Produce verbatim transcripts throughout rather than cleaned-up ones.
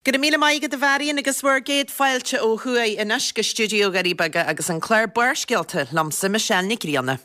Go raibh míle maith agat a Mharion agus bhur gcéad fáilte ó thuaidh anois go stiúideo Dhoirí Beaga agus an clár Barrscéalta liomsa Michelle Nic Grianna.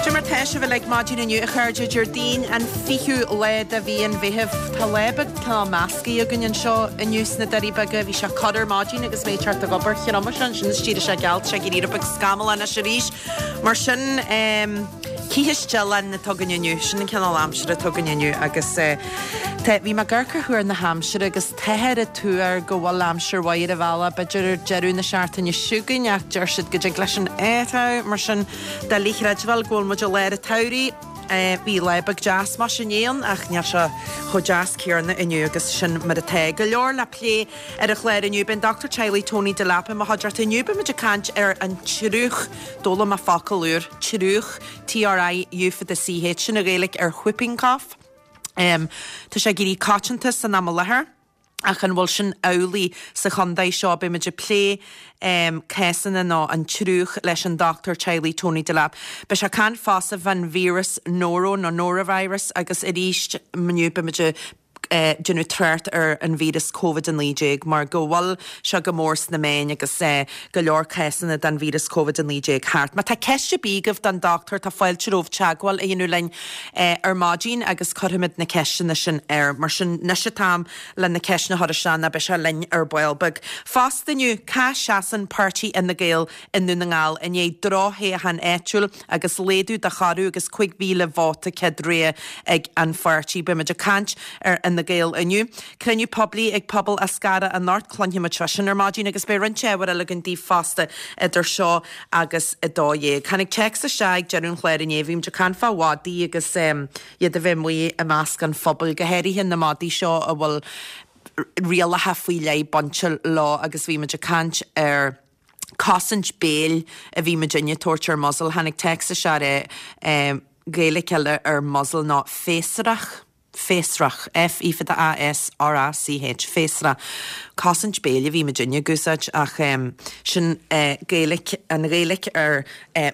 Cad é mar tá sibh uilig maidin inniu a chairde Déardaoin an fichiú lá de mhí an Mheithimh. Tá lá beag cineál measctha againn anseo inniu sna Doirí Beaga. Bhí sé corr ar maidin agus mé ag teacht ag obair. Thriomach sé ansin is d'éirigh sé geal, tá sé ag éirí rud beag scamallach anois arís. Mar sin, cífidh stiallán atá againn inniu, sin an cineál aimsire atá againn inniu agus tá, bhí mé ag amharc ar thuar na haimsire agus táthar ag tuar go bhfuil aimsir mhaith ar an bhealach, b'fhéidir ar deireadh na seachtaine seo chugainn ach deir siad go dtig leis sin athrú, mar sin doiligh a chreidbheáil go bhfuil muid i lár an tsamhraidh. Bhí lá beag deas mar sin ann ach níl sé chomh deas céanna inniu agus sin mar atá. Go leor le plé ar an chlár inniu. Beidh an dochtúir teaghlaigh Tony Delap i mo chuideachta inniu. Beidh muid ag caint ar an triúch. D'fhoghlaim mé focal úr, triúch, T R I U fada C H, sin an Ghaeilge ar whooping cough. Tá sé ag éirí coitianta san am i láthair. Ach an bhfuil sin amhlaidh sa chontae seo? Beidh muid ag plé cásanna nó an triúch leis an dochtúir teaghlaigh Tony Delap. Beidh sé ag caint fosta fán víreas Noro nó Norovirus agus arís inniu beidh muid ag déanamh trácht ar an víreas Covid a naoi déag mar go bhfuil sé go mór sna meáin agus go leor cásanna den víreas Covid a naoi déag thart. Má tá ceist ar bith agaibh don dochtúir tá fáilte romhaibh teagmháil a dhéanamh linn ar maidin agus cuirfimid na ceisteanna sin air. Mar sin anois an t-am le na ceisteanna a chur isteach nó beidh sé linn ar ball beag. Fosta inniu, cá seasann páirtí Fhine Gael i nDún na nGall i ndiaidh drochthoghchán áitiúil agus laghdú de chorradh agus cúig mhíle vóta céad rogha ag an pháirtí. Beidh muid ag caint ar Fhine Gael inniu. Cruinniú poiblí ag pobal Eascarrach anocht, cluinfimid fá sin ar maidin agus beidh roinnt ábhair eile againn daoibh fosta idir seo agus a dó dhéag. Tháinig téacs isteach ag deireadh an chláir inné, bhí muid ag caint fá mhadaí agus iad a bheith amuigh i measc an phobail, go háirithe na madaí seo a bhfuil rialacha faoi leith bainte leo agus bhí muid ag caint ar cosaint béil a bhí muid ag tabhairt ar muzzle. Tháinig téacs isteach ar Gaeilge eile ar muzzle ná féasrach. Féasrach, F E fada A S R A C H, féasrach. Cosaint béil a bhí muid ag úsáid ach sin Gaeilge, an Ghaeilge ar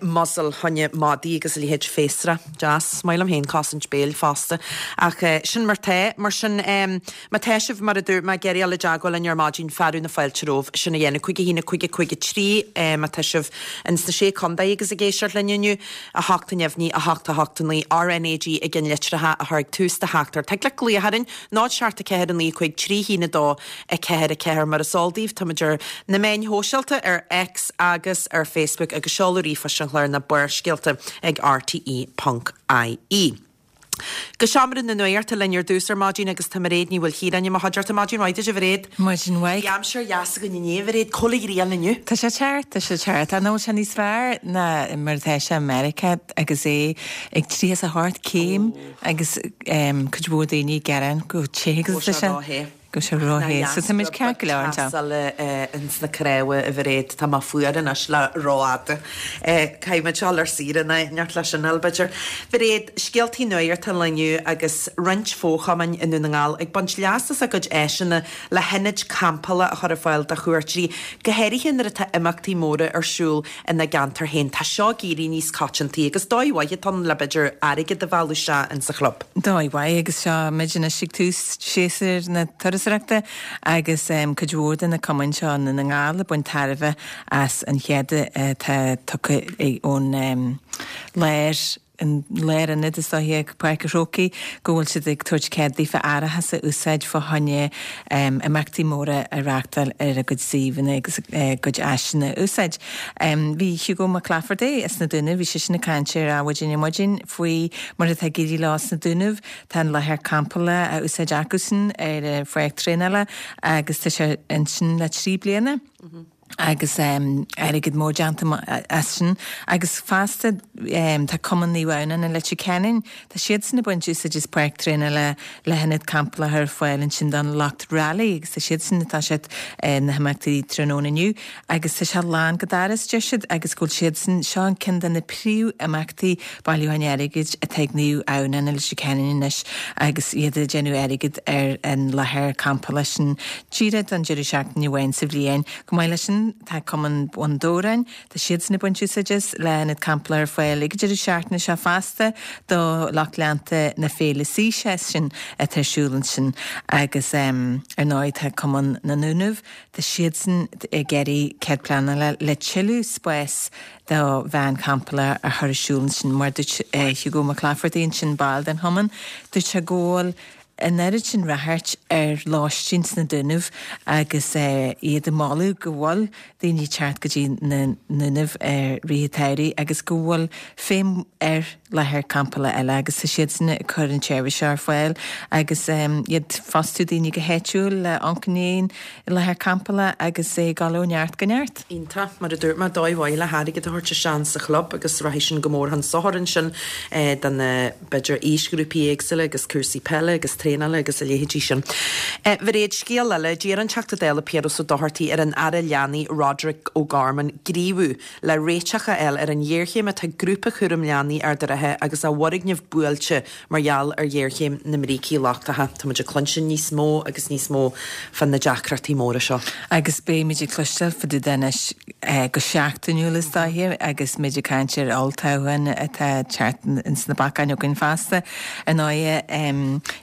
muzzle choinne madaí agus a leithéid féasrach. Deas. Maith liom féin cosaint béil fosta. Ach sin mar tá. Mar sin má tá sibh, mar a dúirt mé, ag iarraidh dul i dteagmháil linn ar maidin, fearadh na fáilte romhaibh sin a dhéanamh. Cúig a haon, a cúig, a cúig a trí má tá sibh ins na Sé Contae agus ag éisteacht linn inniu, a hocht a neamhní, a hocht a hocht a naoi, R N A G i gceannlitreacha a chur ag tús do theachtaireacht. Thig leat glaoch orainn, náid seacht a ceathair a naoi cúig trí haon a dó a ceathair a ceathair. Mar is eol daoibh, táimid ar na meáin shóisialta, ar X agus ar Facebook agus seoladh ríomhphoist an chláir ná Barrscéalta ag R T E ponc I E. Go seomra na nuachta linn ar dtús ar maidin agus tá Mairéad Ní Mhaoilchiaráin i mo chuideachta. Maidin mhaith duit, a Mhairéad. Maidin mhaith. Bhí aimsir dheas againn inné, a Mhairéad. Cá bhfuil an ghrian inniu? Tá sé ceart, tá sé ceart. An bhfuil sé níos fearr ná mar atá sé i Meiriceá agus é ag tríocha is a hocht céim agus cuid mhór daoine ag gearán go te agus tá sé. Go sé ró-the. So tá muid ceart go leor anseo. Ins na cnámha, a Mhairéad, tá mé fuar anois le rófhada. Caithfidh muid dul ar saoire in éineacht leis sin, b'fhéidir. Mhairéad, scéaltaí nuachta an lae inniu agus roinnt fo-chumainn i Ndún na nGall ag baint leas as a gcuid áiseanna le hionaid campála a chur ar fáil do chuairteoirí, go háirithe nuair atá imeachtaí móra ar siúl ina gceantar féin. Tá seo ag éirí níos coitianta agus dóigh mhaith atá ann le b'fhéidir airgead a mhealladh isteach insa chlub. Dóigh mhaith agus seo muid anois ag tús séasúr na turasóireachta agus cuid mhór de na cumainn seo i nDún na nGall ag baint tairbhe as an chead atá tugtha ón lár an lárionad is dóiche ag Páirc an Chrócaigh go bhfuil siad ag tabhairt cead daofa árachas a úsáid fá choinne imeachtaí móra a reáchtáil ar a gcuid suíomhanna agus a gcuid áiseanna a úsáid. Bhí Hugo McClafferty as na Dúnaibh, bhí seisean ag caint ar Adhmhaidin ar maidin faoi mar atá ag éirí leo sna Dúnaibh. Tá an láthair campála á úsáid acusan ar a pháirc traenála agus tá sé ansin le trí bliana. agus um, airgead mór déanta as sin agus fosta um, tá Cumann Naomh Adhamhnáin i Leitir Ceanainn tá siadsan ag baint úsáid as páirc traenála le hionad campála a chur ar fáil ansin don lucht rally agus tá siadsan atá siad eh, na himeachtaí tráthnóna inniu agus tá sé lán go doras deir siad agus go bhfuil siadsan seo an ceann de na príomhimeachtaí bailiúcháin airgid atá ag Naomh Adhamhnáin i Leitir Ceanainn anois agus iad ag déanamh airgid ar an láthair campála sin díreach don deireadh seachtaine amháin sa bhliain. Chomh maith leis sin tá Cumann Bhun Dobhráin, tá siadsan ag baint úsáid as le hionad campála ar fáil ag an deireadh seachtaine seo fosta do lucht leanta na féile Sea Session atá ar siúl ansin agus ar ndóigh tá Cumann na nDúnaibh, tá siadsan ag iarraidh cead pleanála le tuilleadh spás do veain campála a chur ar siúl ansin mar dúirt Hugo Mac Laifeartaigh ansin ball den chumann, dúirt sé go bhfuil an oiread sin ráchairt ar lóistín sna Dúnaibh agus iad ag moladh go bhfuil daoine ag teacht go dtí na Dúnaibh i rith an tsamhraidh agus go bhfuil feidhm ar láthair campála eile agus tá siadsan ag cur an tseirbhís seo ar fáil agus iad fostú daoine go háitiúil le amharc i ndiaidh an láthair campála agus é ag dul ó neart go neart. Iontach, mar a dúirt mé, dóigh mhaith le hairgead a thabhairt isteach sa chlub agus rachaidh sin go mór chun sochair ansin do na, b'fhéidir, aoisghrúpaí éagsúla agus cúrsaí peile agus traenála agus a leithéidí sin. A Mhairéad, scéal eile, d'iarr an Teachta Dála Piaras Ó Dochartaigh ar an Aire Leanaí Roderic O'Gorman gníomhú le réiteach a fháil ar an ghéarchéim atá ag Grúpa Chúram Leanaí Ard an Rátha agus a bhfoirgneamh buailte mar gheall ar ghéarchéim na mbrící lochtacha. Tá muid ag cluinstin níos mó agus níos mó fá na deacrachtaí móra seo. Agus beimid ag cloisteáil fá dtaobh de anois go seachtainiúil is dóiche agus muid ag caint ar olltoghchán atá ag teacht ins na bacáin againn feasta. Ar ndóighe,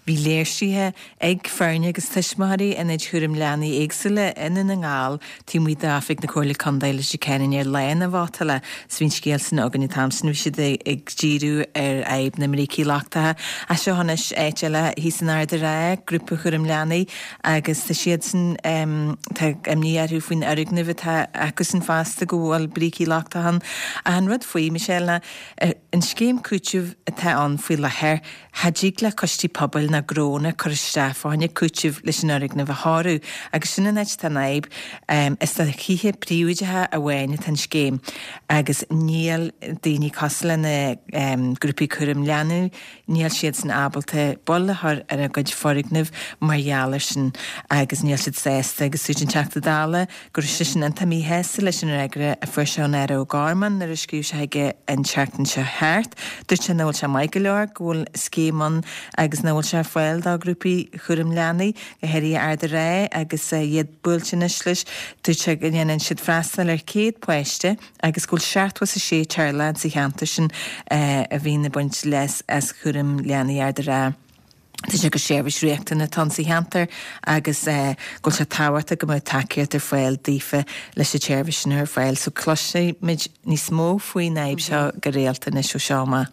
bhí léirsithe ag foirne agus tuismitheoirí ionaid chúraim leanaí éagsúla i nDún na nGall taobh amuigh d'oifig na Comhairle Contae Leitir Ceanainn ar lá na vótála. 'S bhí an scéal sin againn an t-am sin, bhí siad ag díriú ar fhadhb na mbrící lochtacha. Ach seo anois áit eile thíos in Ard an Rátha, grúpa chúraim leanaí agus tá siadsan, tá imní orthu faoin fhoirgneamh atá acusan fosta go bhfuil brící lochtacha ann. Ach an rud faoi, Michelle, ná an scéim cúitimh atá ann faoi láthair, cha dtig le coistí pobail ná gnónna cur isteach fá choinne cúitimh leis an fhoirgneamh a chóiriú agus sin an áit atá an fhadhb. Is do thithe príobháideacha amháin atá an scéim agus níl daoine cosúil le na grúpaí cúraim leanaí, níl siadsan ábalta bail a chur ar a gcuid foirgneamh mar gheall air sin agus níl siad sásta agus dúirt an Teachta Dála go raibh seisean iontach míshásta leis an fhreagra a fuair sé ón Aire O'Gorman nuair a scríobh sé chuige an tseachtain seo thart. Dúirt sé nach bhfuil sé maith go leor go bhfuil scéim ann agus nach bhfuil sé ar fáil do ghrúpaí chúraim leanaí, go háirithe Ard an Rátha agus iad buailte anois leis. Dúirt sé go ndéanann siad freastal ar céad páiste agus go bhfuil seachtó is a sé teaghlach sa cheantar sin a bhíonn ag baint leas as chúram leanaí Ard an Rátha. Dúirt sé gur seirbhís riachtanach atá ann sa cheantar agus go bhfuil sé tábhachtach go mbeadh tacaíocht ar fáil daofa leis an tseirbhís sin a chur ar fáil. So cloisfidh muid níos mó faoin fhadhb seo go rialta anois ó seo amach.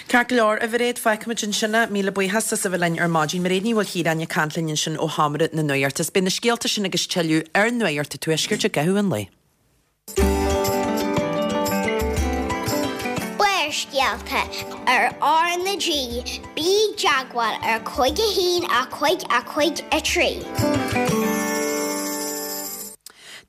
Ceart go leor, a Mhairéad, fágfaimid ansin é. Míle buíochas as a bheith linn ar maidin. Mairéad Ní Mhaoilchiaráin ag caint linn ansin ó Sheomra na Nuachta. Is beidh na scéalta sin agus tuilleadh ar Nuacht an Tuaiscirt i gcaitheamh an lae. Barrscéalta ar R na G, bí i dteagmháil ar cúig a haon a cúig a cúig a trí.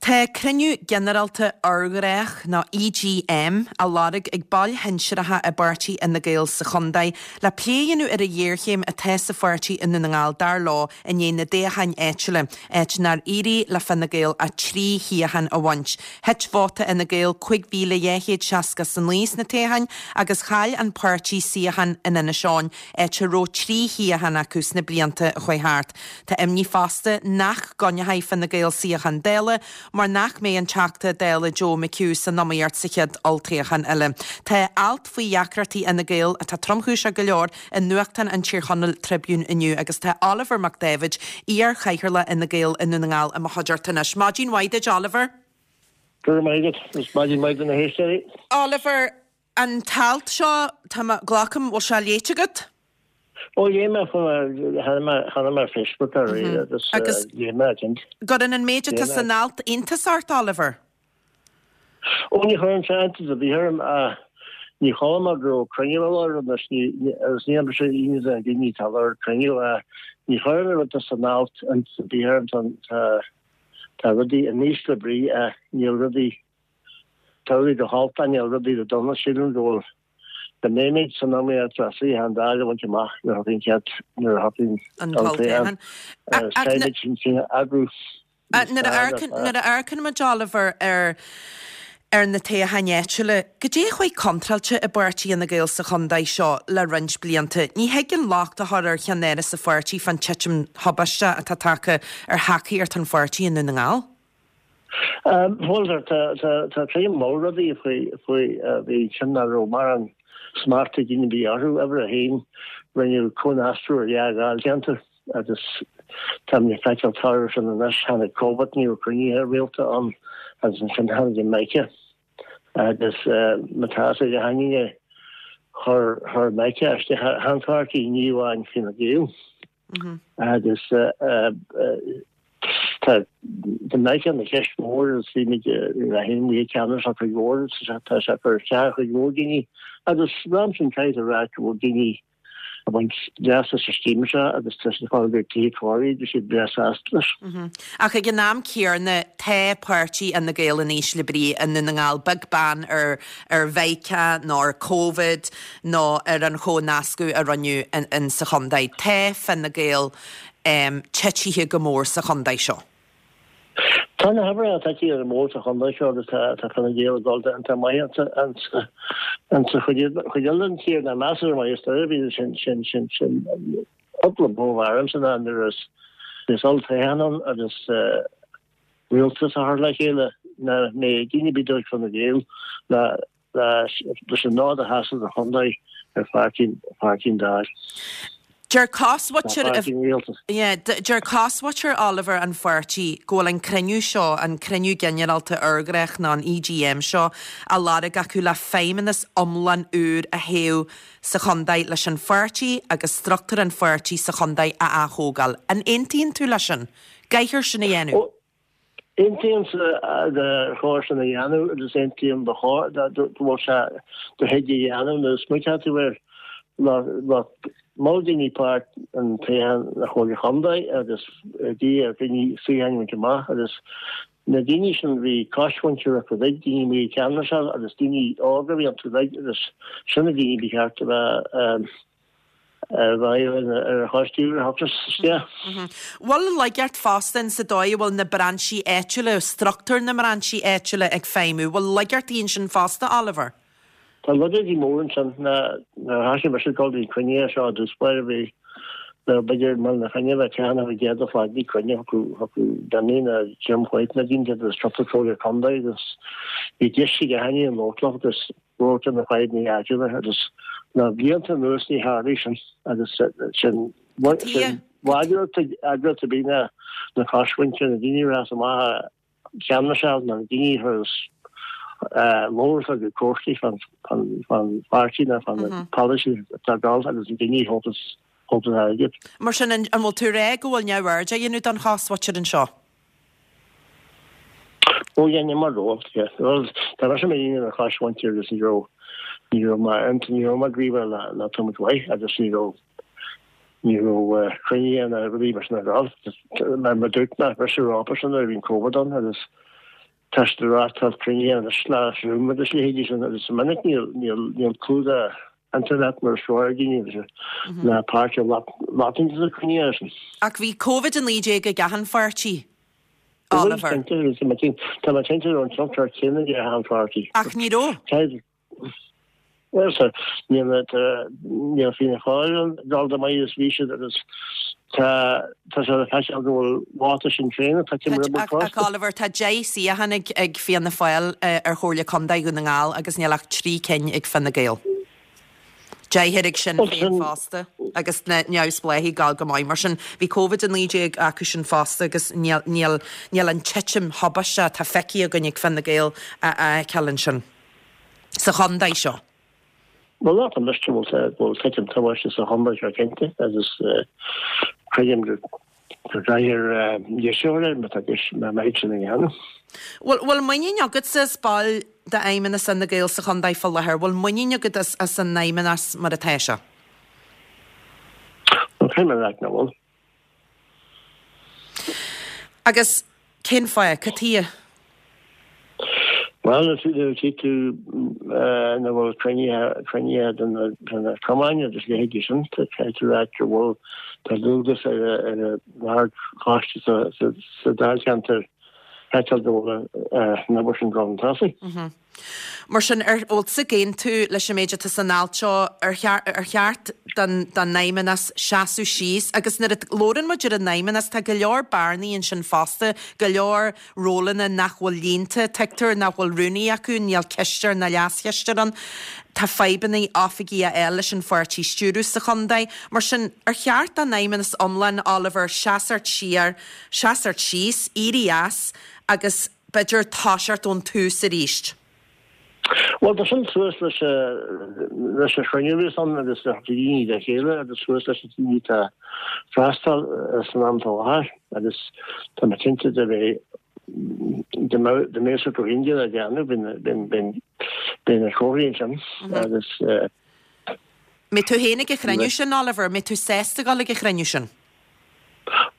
Tá cruinniú ginearálta urghnách, nó EGM, á lorg ag baill shinsearacha i bpáirtí Fhine Gael sa chontae le plé a dhéanamh ar an ghéarchéim atá sa pháirtí i nDún na nGall, dar leo, i ndiaidh na dtoghchán áitiúla, áit nár éirigh le Fine Gael ach trí shuíochán a bhaint. Thit vóta Fhine Gael cúig mhíle dhá chéad seasca is a naoi sna toghcháin agus chaill an páirtí suíochán in Inis Eoghain, áit a raibh trí shuíochán acu sna blianta a chuaigh thart. Tá imní fosta nach gcoinneoidh Fine Gael suíochán Dála mar nach mbeidh an Teachta Dála Joe McHugh san iomaíocht sa chéad olltoghchán eile. Tá alt faoi dheacrachtaí Fhine Gael, atá tromchúiseach go leor, i nuachtán an Tír Chonaill, Tribune inniu agus tá Oliver Mac Dáibhid, iar-chathaoirleach Fhine Gael i nDún na nGall i mo chuideachta anois. Maidin mhaith duit, Oliver. Go raibh maith agat, agus maidin mhaith do na héisteoirí. Oliver, an t-alt seo, tá mé, glacaim, bhfuil sé léite agat? Ó, léigh mé, chonaic mé, chonaic mé ar Facebook aréir agus Agus léigh mé, cinnte. gcuireann an méid Léigh atá mé. san alt iontas ort, Oliver? Ó, ní chuireann sé iontas ar bith orm, ach ní chuala mé go raibh cruinniú á lorg anois, ní, agus ní fhaca mise aon duine daoine atá ag lorg cruinniú, ach ní chuireann an rud atá san alt iontas ar bith orm, tá, tá, Tá rudaí in ísle brí ach níl rudaí, tá rudaí go holc ach níl rudaí go dona. Sílim go bhfuil, go mbeimid san iomaíocht le suíochán Dála a bhaint amach nuair a thiocfaidh an chéad, nuair a thiocfaidh An an t-olltoghchán. toghchán. Caithfimid sinn féin a eagrú níos Nuair a fearr amharcann, nuair a amharcann muid, Oliver, ar ar na toghcháin áitiúla, goidé a chuaigh contráilte i bpáirtí Fhine Gael sa chontae seo le roinnt blianta. Ní thig an locht a chur ar cheannáras an pháirtí fán titim thubaisteach atá tagtha ar thacaíocht an pháirtí i nDún na nGall. Bhuel, tá trí mhol rudaí faoi faoi bhí sin nach raibh mórán smacht ag daoine ar bith orthu. Uimhir a haon, rinneadh comhnascadh ar dhá dháilcheantar agus táimid ag feiceáil toradh sin anois. Tháinig Covid, ní raibh cruinnithe rialta ann agus ansin tháinig an Mica agus má tá a fhios ag gach éinne chuir chuir Mica isteach ar an pháirtí, ní amháin Fine Gael. Agus tá tá Mica ina cheist mhór agus bhí muid mé féin amuigh ag ceannas ar chuid mhór tá sé ag cur isteach ar chuid mhór daoine agus ram sin caithfidh a rá go bhfuil daoine ag baint leas as an scéim seo agus tá siad ag fáil go tithe cóirithe agus siad breá sásta leis. Ach ag an am céanna tá páirtí Fhine Gael in ísle brí i nDún na nGall, beag beann ar ar Mhica nó ar Covid nó ar an chomhnascadh a rinneadh in in sa chontae. Tá Fine Gael titithe go mór sa chontae seo. Tá na huimhreacha titithe go mór sa chontae seo agus tá tá Fine Gael ag dul iontach maith ansa ansa chuid chuid eile den tír ná measartha maith is dóigh bhí sin sin sin sin cúpla bó aramsa ná nuair is is olltoghchán ann agus rialtas a chur le chéile ná mbeidh daoine ar bith ag Fine Gael le leis an nod a sheasamh do chontae ar pháirtí pháirtí an Dáil. Deir cosmhuintir Tá páirtí an rialtais. Yeah, deir cosmhuintir Oliver an pháirtí go bhfuil an cruinniú seo, an cruinniú ginearálta urghnách nó an EGM seo, á lorg acu le feidhmeannas iomlán úr a thoghadh sa chontae leis an pháirtí agus struchtúr an pháirtí sa chontae a aththógáil. An aontaíonn tú leis sin? Caithfear sin a dhéanamh. Aontaímse gur chóir sin a dhéanamh agus aontaím ba chóir go bhfuil sé do thig a dhéanamh nuair a smaoiníonn tú air le mol daoine páirt an toghchán na Comhairle Chontae agus dí ar dhaoine suíocháin a bhaint amach agus na daoine sin bhí cosmhuintir acu uilig, daoine amuigh i gceannas agus daoine óga a bhí iontu uilig agus sin na daoine ba cheart a bheith ar ar an choiste úr a thiocfas isteach. Bhfuil laigeacht fosta in sa dóigh a bhfuil na brainsí áitiúla, struchtúr na mbrainsí áitiúla ag feidhmiú? Bhfuil laigeachtaí ansin fosta, Oliver? Tá laigeachtaí mór ansin. Nuair a thosaigh mise ag dul go dtí cruinnithe seo i dtús báire bhí b'fhéidir i mBaile na Finne bheith ceann a gcéad a flag bhí cruinne acu acu Danny na Jim White na daoine agus cúpla comhairle contae agus bhí deis ag gach éinne labhairt leo agus labhairt ar na fadhbanna áitiúla agus na blianta anuas ní tharlaigh sin agus sin sin eagraíocht a bhí na na cosmhuintir na daoine a raibh amach a cheannasáil na daoine a labhairt ag cúrsaí fan fan pháirtí nó fan na polasaí atá dul agus na daoine a thógas thógas airgead. Mar sin an bhfuil tú ag rá go bhfuil neamhaird á dhéanamh don chosmhuintir anseo? Ó dhéanfaidh mar ról, yeah. Bhuel, tá mise i mo dhuine de chosmhuintir agus ní raibh ní raibh mé ní raibh mé ag ríomhaire le le tamall mhaith agus ní raibh ní raibh cruinnithe ná rudaí mar sin ag dul. Mar mar dúirt mé, briseadh ropa sin nuair a bhí an Covid ann agus tá siad ag reáchtáil cruinnithe anois le Zoom agus leithéidí sin agus is minic níl níl níl clúdach internet mar is fearr ag daoine agus le páirt a ghlacadh sna cruinnithe sin. Ach bhí Covid a naoi déag ag achan pháirtí, Oliver. Tá mé cinnte go raibh an tionchar céanna ag achan pháirtí. Ach ní raibh. Bhuel, sir, níl níl Fianna Fáil ag dul chomh maith is bhí siad agus tá tá sé le feiceáil go bhfuil vóta Sinn Féin ag titim ar Ach ach Oliver, tá deich suíochán ag ag Fianna Fáil ar Chomhairle Contae Dhún na nGall agus níl ach trí cinn ag Fine Gael. Deichniúr ag Sinn Féin fosta agus na neamhspleáchaigh ag gabháil go maith. Mar sin, bhí Covid a naoi déag acu sin fosta agus níl níl níl an titim thubaisteach atá feicthe againn ag Fine Gael a fheiceáil ansin sa chontae seo. Bhuel, tá miste go bhfuil go bhfuil titim tubaiste sa chontae seo cinnte agus creidim go go gcaithfear deisiú air má tá deis má mbeidh sin a dhéanamh. Bhfuil bhfuil muinín agatsa as ball d'fheidhmeannas Fhine Gael sa chontae fá láthair? Bhfuil muinín agat as as an fheidhmeannas mar atá sé? Bhuel, caithfidh mé a rá nach bhfuil. Agus Cén fáth? Cad chuige? Bhuel, nuair a tchí tú nach bhfuil cruinnithe de na cumainn agus leithéidí sin, caithfidh tú a rá go bhfuil, tá dualgas ar an ardchoiste sa dáilcheantar feiceáil go bhfuil an obair sin ag dul chun tosaigh. Mar sin, an bhfuil tú ag aontú leis an méid atá san alt seo, ar cheart don fheidhmeannas seasamh síos? Agus nuair a labhrann muid ar an fheidhmeannas, tá go leor bearnaí ansin fosta, go leor rólanna nach bhfuil líonta, tuigtear nach bhfuil rúnaí acu, níl cisteoir ná leaschisteoir ann, tá fadhbanna oifigí a fháil leis an pháirtí a stiúradh sa chontae. Mar sin, ar cheart don fheidhmeannas iomlán, Oliver, seasamh siar, seasamh síos, éirí as agus b'fhéidir toiseacht ón tús arís? Bhuel, tá sin suas leis leis an chruinniú a bhíos ann agus le daoine le chéile agus suas leis na daoine atá ag freastal san am atá i láthair agus tá mé cinnte de bheith dá mbeadh sé go hIndia le déanamh bheinn na comharthaí ansin agus Mbeidh tú féin ag an chruinniú sin, Oliver? Mbeidh tú sásta dul ag an chruinniú sin?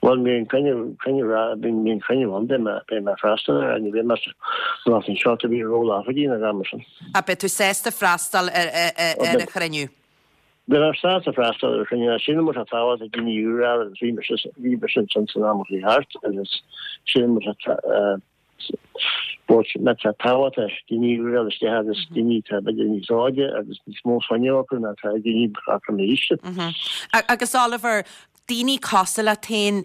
Bhuel, bhí an cruinniú, cruinniú, bhí an cruinniú ann, beidh mé, beidh mé ag freastal air, ní bheidh mé san anseo to bhí ról oifigí na am sin. Ah, beidh tú sásta freastal ar, ar, ar an chruinniú? Beidh mé sásta freastal ar an chruinniú, sílim go bhfuil sé tábhachtach daoine úra agus bhí mise, bhí mise ansin san am a chuaigh thart agus sílim go bhfuil sé, bhfuil sé tábhachtach daoine úra a isteach agus daoine atá b'fhéidir níos óige agus níos mó fuinnimh acu ná atá ag daoine acu m'aois. Agus Oliver, daoine cosúil leat féin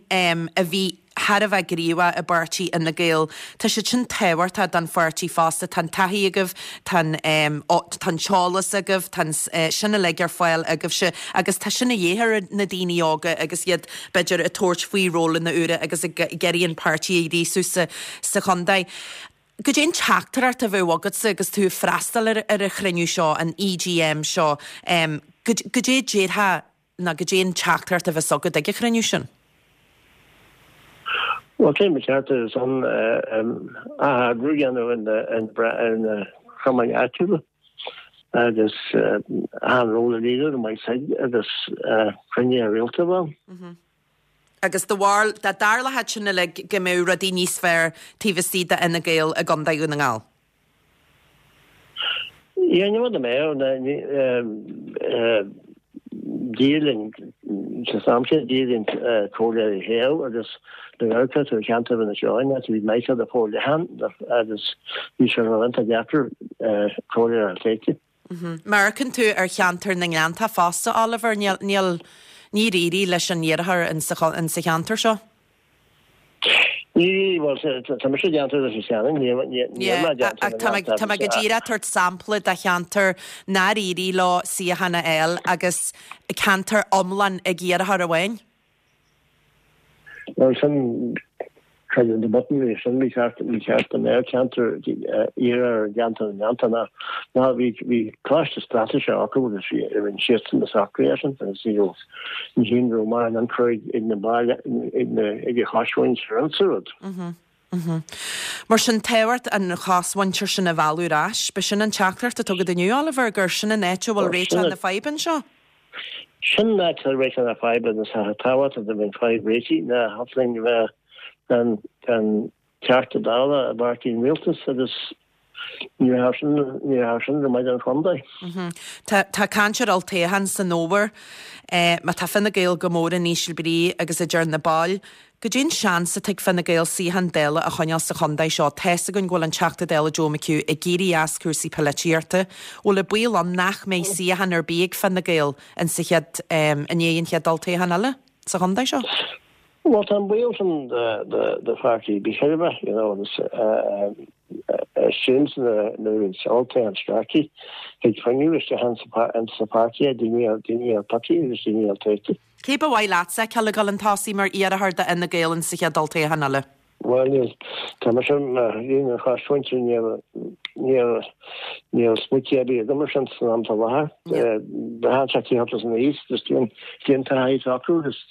a bhí thar a bheith gníomhach i bpáirtí Fhine Gael, tá siad sin tábhachtach don pháirtí fosta, tá an taithí agaibh, tá an tá an t-eolas agaibh, tá an sin uilig ar fáil agaibhse agus tá sin a dhíth ar na daoine óga agus iad b'fhéidir ag tabhairt faoi rólanna úra agus ag iarraidh an páirtí a ghríosú sa sa chontae. Goidé an teachtaireacht a bheadh agatsa agus tú ag freastal ar ar an chruinniú seo, an EGM seo, goidé a déarfá nó goidé an teachtaireacht a bheas agat ag an chruinniú sin? Bhuel, cé ba cheart ar son atheagrú a dhéanamh ar na cumainn áitiúla agus achan ról a líonadh go maith said agus cruinnithe rialta a bheith ann. Agus do bharúil, dá dtarlódh sin uilig go mbeadh rudaí níos fearr taobh istigh d'Fhine Gael i gContae Dhún na nGall? Yeah, ní rud a mbeadh, d'éirigh linn, sa am sin, d'éirigh linn comhairleoirí a thoghadh agus nuair a amharcfá ar cheantar Inis Eoghain, bhí Michael de forleathan agus bhí sé iontach deacair comhairleoir a fháil. Má amharcann tú ar cheantar na nGleanntach fosta, Oliver, níl, níl, níor éirigh leis an iarrthóir insa cheantar seo. Ní, bhuel, tá mise i gceantar Leitir Ceanainn, níl mé i gceantar na Tá mé nGleanntach. go díreach ag tabhairt sampla de cheantar nár éirigh leo suíochán a fháil agus ceantar iomlán ag iarrthóir amháin. Bhuel, sin, creidim the button bhí sin bhí ceart bhí ceart go mbeadh ceantar iarrthóir i gceantar na nGleanntach ná ná bhí bhí coiste straitéise acu agus bhí rinne siadsan na socruithe sin agus ní raibh ní hin raibh mar an ionchur ag na baill ag na ag an chosmhuintir insa rud. Mar sin tábhacht an chosmhuintir sin a mhealladh ar ais. B'shin an teachtaireacht atá agat inniu, Oliver, gur sin an áit a bhfuil réiteach na faidhbe anseo? Sin an áit a bhfuil réiteach na faidhbe agus tá tábhacht a bheith fadhb réitigh ná thiocfadh linn a bheith gan gan Teachta Dála i bpáirtí an rialtais agus ní raibh sin ní raibh sin go maith don chontae. Tá tá caint ar olltoghchán san fhómhar. Má tá Fine Gael go mór in íseal brí agus a deir na baill, goidé an seans atá ag Fine Gael suíochán Dála a choinneáil sa chontae seo? Tá's againn go bhfuil an Teachta Dála Joe McHugh ag éirí as cúrsaí polaitíochta. Bhfuil an baol ann nach mbeidh suíochán ar bith ag Fine Gael in sa chéad i ndiaidh an chéad olltoghchán eile sa chontae seo? Bhuel, tá an baol sin do pháirtí ar bith chor ar bith, you know, agus sin nuair is olltoghchán scaití, thig fuinneamh isteach insa pháirtí, daoine a piocadh agus daoine a toghadh. Cé ba mhaith leatsa a fheiceáil ag dul chun tosaigh mar iarrthóir do Fhine Gael insa chéad olltoghchán eile? Bhuel, níl, tá mise mar dhaoine an chosmhuintir, níl, níl, níl smaointe ar bith agam ar sin san am atá i láthair. Braitheann sé cé acu san aois, agus cén taithí atá acu agus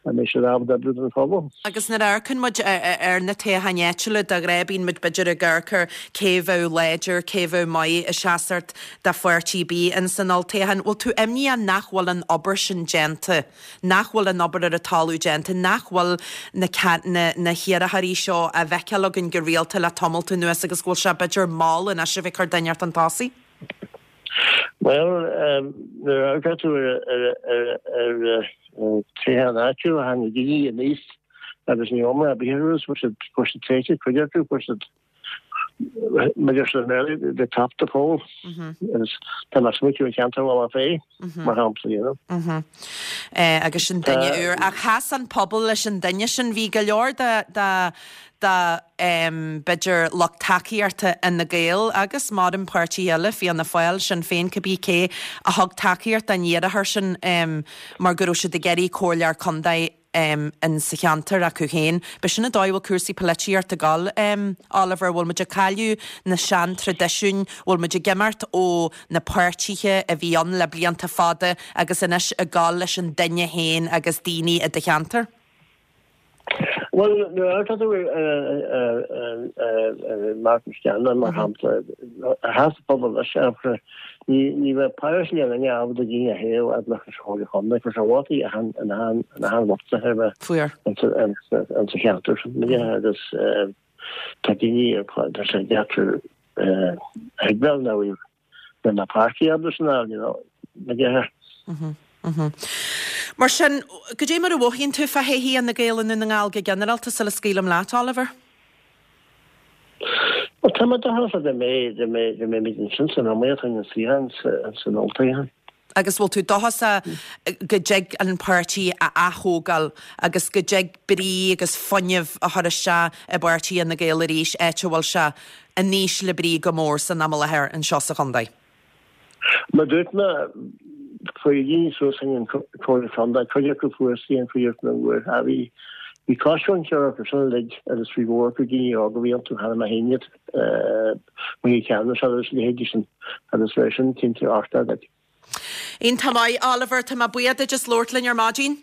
an mbeidh siad ábalta oibriú don phobal. Agus nuair a amharcann muid ar na toghcháin áitiúla de ghnáth bíonn muid b'fhéidir ag amharc ar cé a bheadh láidir, cé a bheadh maith ag seasamh do pháirtí ar bith in san olltoghchán. Bhfuil tú imníoch nach bhfuil an obair sin déanta, nach bhfuil an obair ar an talamh déanta, nach bhfuil na na na hiarrthóirí seo á bhfeiceáil againn go rialta le tamalt anuas agus go bhfuil sé b'fhéidir mall anois a bheith ag cur duine chun tosaigh? Bhuel, nuair a amharcann tú ar toghchán áitiúil, tháinig daoine aníos agus ní iomrá ar bith orthu, fuair siad fuair siad téite, cuid acu, fuair siad mar deir siad i mBéarla, they topped the poll. Agus tá mé ag smaoitiú ar cheantar Mhullach Féith, mar shampla, you know. Agus sin duine úr. Ach sheas an pobal leis an duine sin. Bhí go leor de de de b'fhéidir lucht tacaíochta Fhine Gael agus maram páirtí eile, Fianna Fáil, Sinn Féin, cibé cé a thug tacaíocht don iarrthóir sin mar go raibh siad ag iarraidh comhairleoir contae in sa cheantar acu féin. B'shin an dóigh a bhfuil cúrsaí polaitíochta ag dul, Oliver, bhfuil muid ag cailleadh na sean-traidisiúin, bhfuil muid ag imeacht ó na páirtithe a bhí ann le blianta fada agus anois ag dul leis an duine féin agus daoine i do cheantar? Bhuel, nuair a amharcann tú ar Martin Scanlon, mar shampla, sheas an pobal leis, ní bheadh páirtí aon duine ábalta daoine a thaobh fhad leis an Chomhairle Chontae, fuair sé vótaí achan achan vóta ar bith Fuair. insa cheantar sin agus tá daoine tá sé deacair a thuigbheáil ná bhfuil na páirtí ábalta sin a fháil, you know, na gceathair. Mar sin, cad é mar a mhothaíonn tú fá thodhchaí Fhine Gael i nDún na nGall go ginearálta sula scaoilim leat, Oliver? Well, tá mé dóchasach go mbeidh go mbeidh go mbeimid ansin san iomaíocht an suíochán san olltoghchán. Agus bhfuil tú dóchasach go dtig an páirtí a ath-thógáil agus go dtig brí agus fuinneamh a chur isteach i bpáirtí Fhine Gael arís, áit a bhfuil sé in ísle brí go mór san am i láthair anseo sa chontae? Mar dúirt mé, chuaigh daoine suas chuig an Chomhairle Contae, cuid acu fuair suíochán, cuid acu nach bhfuair. Ach bhí bhí coisreacan ceann acu sin uilig agus bhí mhór acu daoine óga a bhí iontu, cheana mé féin iad, Marie Ceannas agus a leithéidí sin agus bheadh sin cinnte ardar like. Iontach maith, Oliver, tá mé buíoch duit as labhairt linn ar maidin.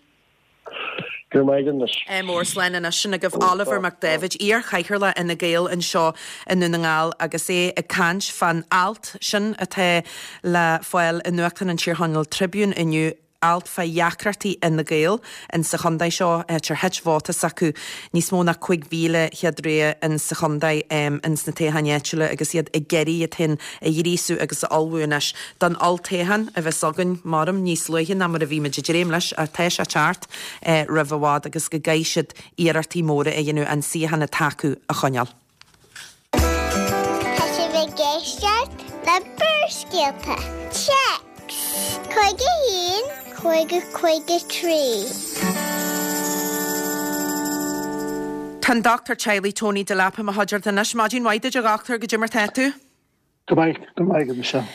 Go raibh maith agat anois. Mór slán anois. Sin agaibh Oliver Mac Daibhéid, iar-chathaoirleach Fhine Gael anseo i nDún na nGall agus é ag caint fán alt sin atá le fáil i nuachtán an Tír Chonaill Tribune inniu, alt fá dheacrachtaí Fhine Gael in sa chontae seo, áit ar thit vóta s'acu níos mó ná cúig mhíle chéad rogha in sa chontae ins na toghcháin áitiúla agus iad ag iarraidh iad féin a ghríosú agus a ullmhú anois don olltoghchán a bheas againn, maram, níos luaithe ná mar a bhí muid ag dréim leis, ach tá sé ag teacht roimh i bhfad agus go gcaithfidh siad iarrachtaí móra a dhéanamh an suíochán atá acu a choinneáil. Tá sibh ag éisteacht le Barrscéalta. Téacs cúig a haon, cúig a cúig a trí. Tá an Dochtúir Teaghlaigh Tony Delap i mo chuideachta anois. Maidin mhaith duit a dhochtúir, goidé mar tá tú? Go maith, go maith, a Michelle.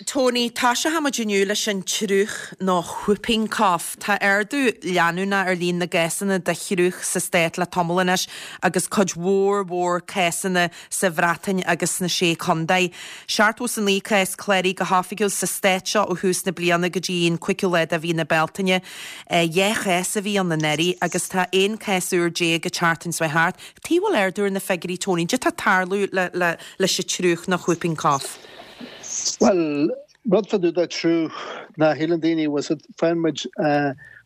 Tony, toiseochaidh muid inniu leis an triúch nó whooping cough. Tá ardú leanúnach ar líon na gcásanna de thriúch sa stát le tamall anois agus cuid mhór mhór cásanna sa Bhreatain agus sna Sé Chontae. Seachtó is a naoi cás cláraithe go hoifigiúil sa stát seo ó thús na bliana go dtí an cúigiú lá de mhí na Bealtaine. Dhá chás a bhí ann anuraidh agus tá aon chás úr déag ag teacht an thart. Tuige a bhfuil ardú ar na figiúirí Tony, cad tá ag tarlú le le leis an triúch nó whooping cough? Bhuel, rud fá dtaobh de triúch ná shíleann daoine was it faigheann muid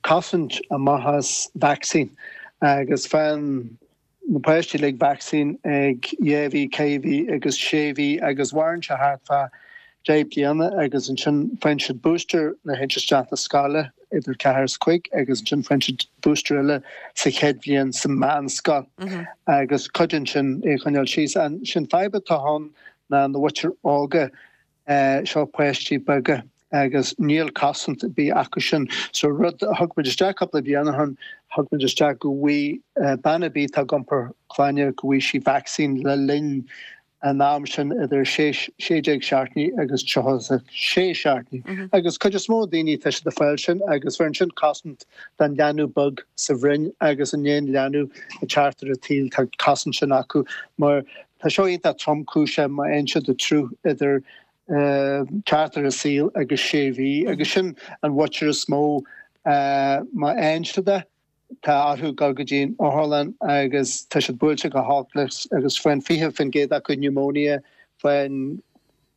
cosaint amach as vaccine agus faigheann na páistí uilig vaccine ag dhá mhí, ceithre mhí agus sé mhí agus mhaireann sé thart fá deich bliana agus ansin faigheann siad booster nuair a théann siad isteach na scoile idir ceathair is cúig agus ansin faigheann siad booster eile sa chéad bhliain sa meánscoil agus cuidíonn sin é a choinneáil síos. Sin fadhb atá ann ná na mhuintir óga seo páistí beaga agus níl cosaint ar bith acu sin. So rud a thug muid isteach cúpla bliain ó shin, thug muid isteach go bhfaighidh bean ar bith atá ag iompar clainne go bhfaighidh sí vaccine le linn an am sin idir sé déag seachtainí agus tríocha sé seachtainí. Agus cuid is mó daoine tá siad ag fáil sin agus bheireann sin cosaint don leanbh beag sa bhroinn agus an aon leanbh ag teacht ar an tsaol tá cosaint sin acu mar tá seo iontach tromchúiseach má fhaigheann siad an triúch idir teacht ar an saol agus sé mhí agus sin an mhuintir is mó má fhaigheann siad é. tá orthu dul go dtí an otharlann agus tá siad buailte go holc leis agus faigheann fiche faoin gcéad acu pneumonia, faigheann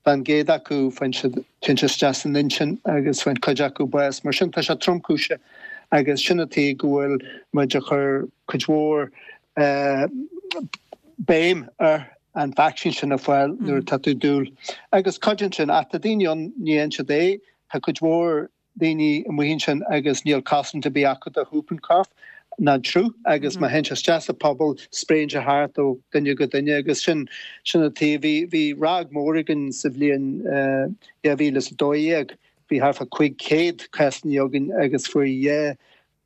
faoin gcéad acu faigheann siad téann sé isteach san intinn agus faigheann cuid acu bás. Mar sin tá sé tromchúiseach agus sin an tuige go bhfuil muid ag cur cuid mhór béim ar an vacsaín sin a fháil nuair atá tú dúil. Agus cuidíonn sin ach tá daoine ann ní dhéanann siad é, tá cuid mhór daoine amuigh ansin agus níl cosaint ar bith acu do whooping cough ná an sruth agus má théann sé isteach sa pobal spréann sé thart ó duine go duine agus sin sin an tuige. Bhí bhí ráig mór againn sa bhliain dhá mhíle is a dó dhéag, bhí thart fá cúig chéad cásanna againn agus fuair dhá